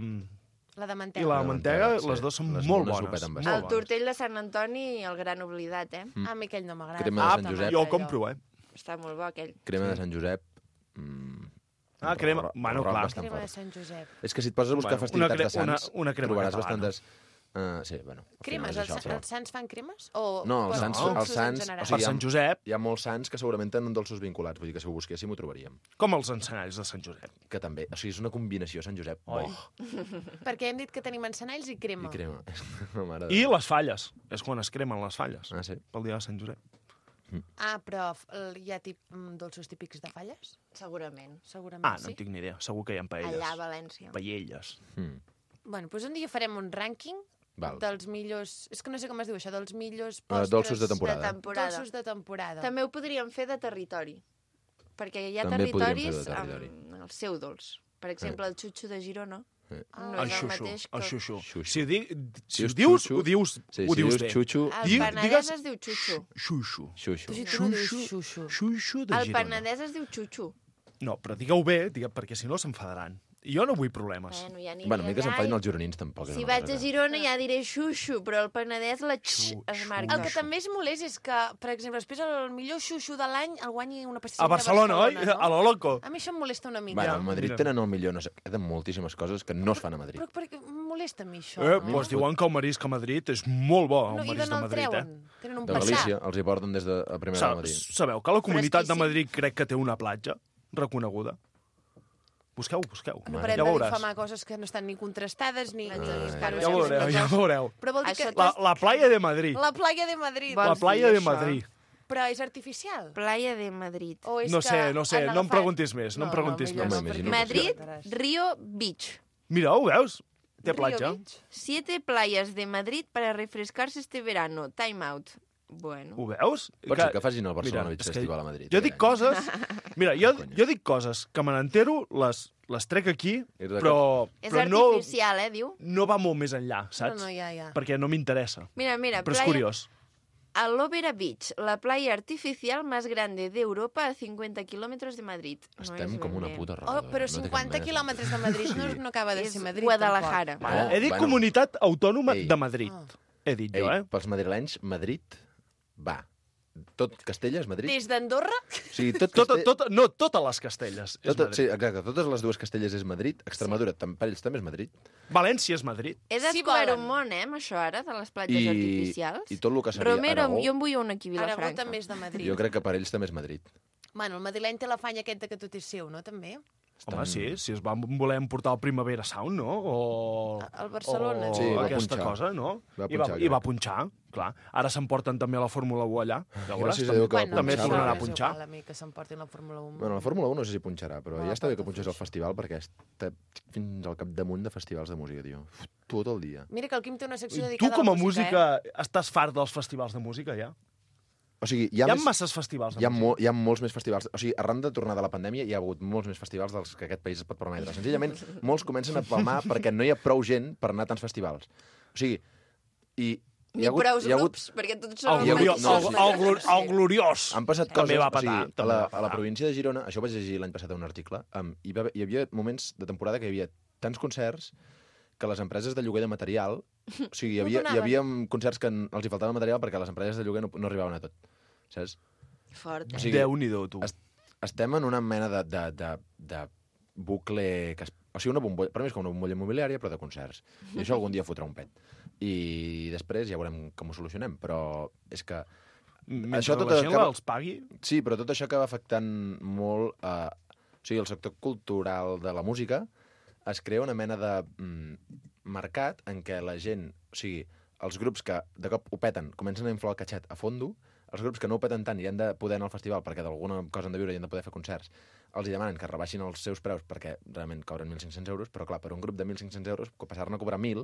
La de i mantega. la La mantega, mantega, sí. les dues són Les molt mones ho bones. peten Molt bastant. El bones. tortell de Sant Antoni, el gran oblidat, eh? A mi aquell no m'agrada. Crema de Ah, Sant Josep. jo el compro, eh? Està molt bo, aquell. Crema de Sant Josep... Mm, Ah, crema- ro- bueno, rock clar. bastant Crema de fort. Sant Josep. És que si et poses a buscar Bueno, festivitats una cre- de Sants, una- una crema trobaràs catalana. bastantes... Uh, sí, bueno. al Cremes, final és els, això, però- els sants fan cremes? O No, els o sants, dolços els en sants, general? o sigui, Per Sant Josep, Hi ha molts sants que segurament tenen dolços vinculats, vull dir que si ho busquéssim ho trobaríem. com els encenalls de Sant Josep. Que també, o sigui, és una combinació, Sant Josep. Oi. Oh, Perquè hem dit que tenim encenalls i crema. i crema. No, mare de I Déu. les falles. És quan es cremen les falles. Ah, sí? Pel dia de Sant Josep. Ah, però f- l- hi ha tip, mm, dolços típics de falles? Segurament. Segurament Ah, no sí. en tinc ni idea. Segur que hi ha paelles. Allà a València. Paelles. Mm. Bueno, doncs un dia farem un rànquing Val. dels millors... És que no sé com es diu això, dels millors Eh, postres... dolços de temporada. De temporada. Dolços de temporada. També ho podríem fer de territori. Perquè hi ha També podríem territoris fer de territori. amb el seu dolç. Per exemple, el xutxo de Girona Eh. no El és el xuxo, mateix que... el xuxo. Xuxo. Si ho, di... si ho dius dius, xuxo- ho dius, Sí, ho si dius dius bé. xuxo, El Diu- penedès digues- es diu xuxo. Xuxo. xuxo. Tu, tu no dius xuxo. Xuxo de El Girona. penedès es diu xuxo. No, però digueu bé, digue, perquè si no s'enfadaran. I jo no vull problemes. Bueno, ja aniré Bueno, a mi que allà s'enfadin i- els gironins tampoc. és Si una vaig cosa a que- Girona ja diré xuxo, però el penedès la x Xuxo. es marca. El que també és molest és que, per exemple, després el millor xuxo de l'any el guanyi una pastisseria A Barcelona, de Barcelona, oi? A lo loco. A mi això em molesta una mica. Bueno, Ja, a Madrid mira. tenen el millor, no sé, queden moltíssimes coses que no es fan a Madrid. Però, però em molesta a mi això. Eh, no? doncs diuen que el marisc a Madrid és molt bo, no, el I marisc d'on de el Madrid, eh? treuen? Tenen un De passar. Galícia, els hi porten des de a primera de Sa Madrid. sabeu que la comunitat de Fresquíssim. Madrid crec que té una platja reconeguda? Busqueu, busqueu. No Mare parem ja de veuràs. difamar coses que no estan ni contrastades ni... Ah, ni ja estan- Ja veureu, ja veureu. Però vol dir Això que... La, la playa de Madrid. La playa de Madrid. Va- La vols playa dir de això? Madrid. Però és artificial? Playa de Madrid. O és No que sé, no sé, han no em agafat- preguntis més, no em preguntis millor més. no, perquè No Madrid, m'espantaràs. Río Beach. Mira, ho veus? Té Río platja. Beach? Siete playas de Madrid para refrescarse este verano. Time out. Bueno. Ho veus? Pot ser que facin el Barcelona Mira, Beach és que Festival a Madrid. Jo eh? dic coses... Mira, jo, Conya. jo dic coses que me n'entero, les, les trec aquí, I de però, És però no, artificial, eh, diu? no va molt més enllà, saps? No, no, ja, ja. Perquè no m'interessa. Mira, mira, Però és playa... curiós. Aloe Beach, la playa artificial más grande de Europa a cincuenta kilómetros de Madrid. Estem no com una puta roda. Oh, però no té cap cinquanta mena de quilòmetres de Madrid no, no acaba de És ser Madrid. Guadalajara. tampoc. No, He dit bueno. comunitat autònoma Ei. de Madrid. Ah. He dit Ei, jo, eh? pels madrilenys, Madrid va. Tot Castella és Madrid. Des d'Andorra? O sigui, tot Tota, Castell... tota, no, totes les Castelles és Tota, Madrid. sí, exacte, totes les dues Castelles és Madrid. Extremadura, tam, per ells també és Madrid. València és Madrid. He Si descobert volen. un món, eh, amb això ara, de les platges I, artificials. I tot el que seria Romero, Aragó, jo en vull un aquí a Aragó Vilafranca. també és de Madrid. jo crec que per ells també és Madrid. Bueno, el madrileny té l'afany aquest de que tot és seu, no, també? Home, sí, si es van voler emportar el Primavera Sound, no? O... El Barcelona. O Sí, va aquesta punxar. cosa, no? Va I, va, punxar, I va crec. punxar, clar. Ara s'emporten també a la Fórmula u allà. Ja veuràs, Gràcies a també, Déu que va Bueno, també punxar. tornarà a és punxar. igual a mi que s'emportin la Fórmula un. Bueno, la Fórmula u no sé si punxarà, però No, ja està bé que tampoc punxés al festival perquè està fins al capdamunt de festivals de música, tio. Uf, tot el dia. Mira que el Quim té una secció Tu dedicada com a a la música estàs fart dels festivals de música, ja? O sigui, hi Hi ha, ha més, masses festivals de hi ha, música. mo, hi ha molts més festivals. O sigui, arran de tornar de la pandèmia hi ha hagut molts més festivals dels que aquest país es pot permetre. Senzillament, molts comencen a palmar perquè no hi ha prou gent per anar a tants festivals. O sigui, i... Ni hi ha hagut, prous hi ha hagut, grups, perquè tots El, són hi ha hagut- gloriós, no, el, sí. el, glor- el gloriós. Han passat També coses, va o petar, sigui, a també la, va a la petar. província de Girona, això ho vaig llegir l'any passat a un article, um, hi, va, haver- hi havia moments de temporada que hi havia tants concerts que les empreses de lloguer de material... O sigui, hi havia, hi havia concerts que en- els hi faltava material perquè les empreses de lloguer no, no arribaven a tot. Saps? Fort, eh? O sigui, Déu-n'hi-do, tu. est- estem en una mena de, de, de, de bucle... Que es, o sigui, una bombolla, per mi és com una bombolla immobiliària, però de concerts. I això algun dia fotrà un pet. I després ja veurem com ho solucionem, però és que... Mentre això tot la gent acaba- els pagui... Sí, però tot això acaba afectant molt... Eh, o sigui, el sector cultural de la música es crea una mena de mm, mercat en què la gent... O sigui, els grups que de cop ho peten comencen a inflar el catxet a fondo, els grups que no ho peten tant i han de poder anar al festival perquè d'alguna cosa han de viure i han de poder fer concerts, els hi demanen que rebaixin els seus preus perquè realment cobren mil cinc-cents euros, però clar, per un grup de mil cinc-cents euros, passar-ne a cobrar mil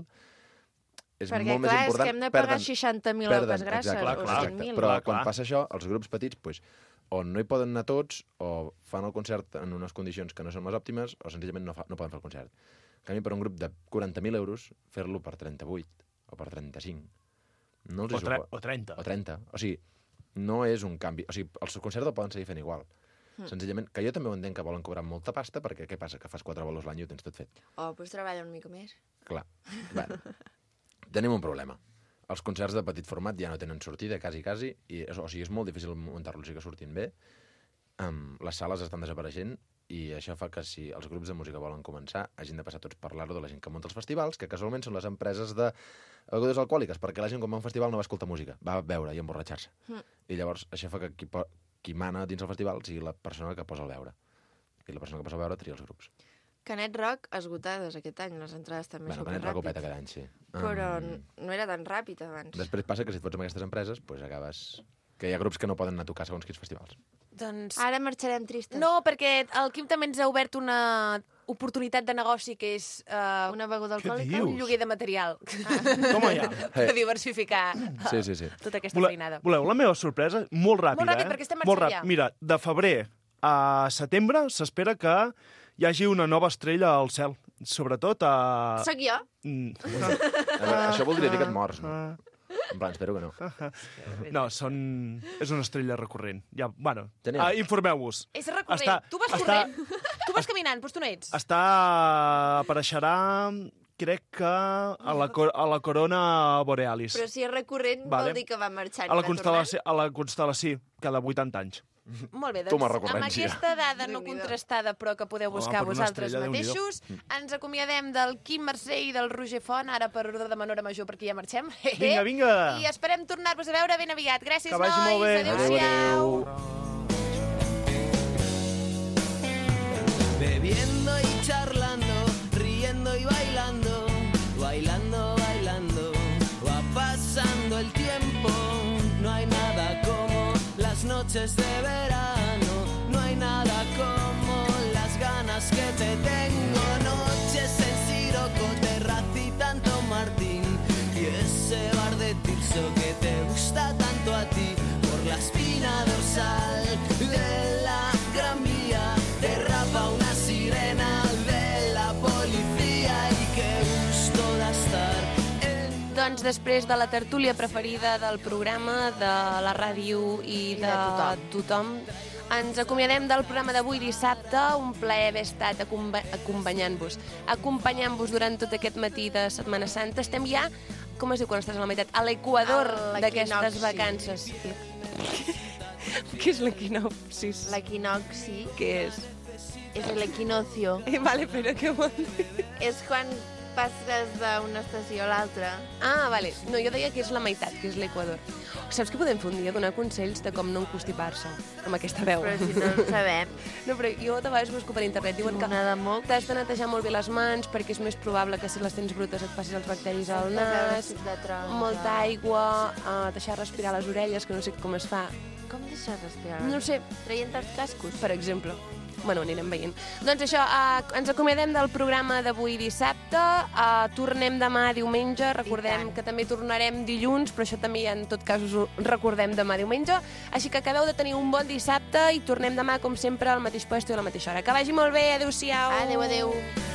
és Perquè, molt clar, més és important. que hem de pagar seixanta mil euros grasses, exacte, o exacte. cent mil. Però Clar, quan clar. passa això, els grups petits, pues, o no hi poden anar tots, o fan el concert en unes condicions que no són les òptimes, o senzillament no, fa, no poden fer el concert. En canvi, per un grup de quaranta mil euros, fer-lo per trenta-vuit o per trenta-cinc, no els O, hi tre supo- o trenta. o trenta. O sigui, no és un canvi. O sigui, els concerts el poden seguir fent igual. Mm. Senzillament, que jo també ho entenc que volen cobrar molta pasta, perquè què passa? Que fas quatre bolos l'any i ho tens tot fet. Oh, doncs treballa una mica més. Clar. Bueno, tenim un problema. Els concerts de petit format ja no tenen sortida, quasi, quasi, i, o sigui, és molt difícil muntar-los i que surtin bé. Um, les sales estan desapareixent i això fa que si els grups de música volen començar hagin de passar tots per l'aro de la gent que munta els festivals, que casualment són les empreses de begudes alcohòliques, perquè la gent quan va a un festival no va escoltar música, va beure i emborratxar-se. Mm. I llavors això fa que qui, po qui mana dins el festival sigui la persona que posa el beure. I la persona que posa el beure tria els grups. Canet Rock, esgotades aquest any, les entrades també Bueno, superràpid. Canet Rock ho peta cada any, sí. Però Um, no era tan ràpid abans. Després passa que si et fots amb aquestes empreses, pues acabes... que hi ha grups que no poden anar a tocar segons quins festivals. Doncs... Ara marxarem tristes. No, perquè el Quim també ens ha obert una oportunitat de negoci que és... Uh, una beguda Què alcohòlica? dius? Un lloguer de material. Ah. Toma ja. Per diversificar Sí, sí, sí. tota aquesta Vole, feinada. voleu la meva sorpresa? Molt ràpida, Molt ràpid, eh? perquè estem Molt marxant ràpid. ja. Mira, de febrer a setembre s'espera que hi hagi una nova estrella al cel. Sobretot a... Soc jo? Mm. A veure, això voldria dir que et mors, no? En plan, espero que no. No, són... és una estrella recurrent. Ja, bueno, Genial. ah, informeu-vos. És recurrent. Està- tu vas està- corrent. Tu vas caminant, doncs tu no ets. Està... apareixerà, crec que a la, cor a la corona borealis. Però si és recurrent Vale. vol dir que va marxant A la i va constel·lació, a la constel·lació, cada vuitanta anys. Molt bé, Toma doncs amb recurrència. aquesta dada no Déu-n'hi-do. contrastada, però que podeu Home, buscar per una vosaltres estrella, Déu-n'hi-do. mateixos, ens acomiadem del Quim Mercè i del Roger Font, ara per ordre de menor a major, perquè ja marxem. Vinga, vinga. I esperem tornar-vos a veure ben aviat. Gràcies, Que vagi nois. molt bé. Adéu-siau. Bebiendo y charlando, riendo y bailando, bailando, bailando, va pasando el tiempo. No hay nada como las noches de verano, no hay nada como las ganas que te tengo. Noches en Siroco, Terracita, Tanto Martín y ese bar de Tirso que te gusta tanto a ti por la espina dorsal de la Gran Vía. Derrapa una sirena de la policía y qué gusto de estar en... Doncs després de la tertúlia preferida del programa, de la ràdio i, I de, de tothom. tothom. Ens acomiadem del programa d'avui dissabte. Un plaer haver estat acompa acompanyant-vos. Acompanyant-vos durant tot aquest matí de Setmana Santa. Estem ja, com es diu quan estàs a la meitat? A l'equador d'aquestes vacances. Què és l'equinopsis? L'equinoxi Què és? és l'equinocio. Eh, vale, però què vol dir? És quan passes d'una estació a l'altra. Ah, vale. No, jo deia que és la meitat, que és l'equador. Saps que podem fer un dia? Donar consells de com no encostipar-se amb aquesta veu. Però si no en sabem. No, però jo de vegades busco per internet. Diuen que t'has de netejar molt bé les mans perquè és més probable que si les tens brutes et passis els bacteris al nas. Molta aigua, uh, deixar respirar les orelles, que no sé com es fa. Com deixar respirar? No sé. Traient els cascos? Per exemple. Bueno, anirem veient. Doncs això, uh, ens acomiadem del programa d'avui dissabte. Uh, tornem demà diumenge. Recordem que també tornarem dilluns, però això també en tot cas us ho recordem demà diumenge. Així que acabeu de tenir un bon dissabte i tornem demà, com sempre, al mateix lloc i a la mateixa hora. Que vagi molt bé. Adéu-siau. Adéu, adéu.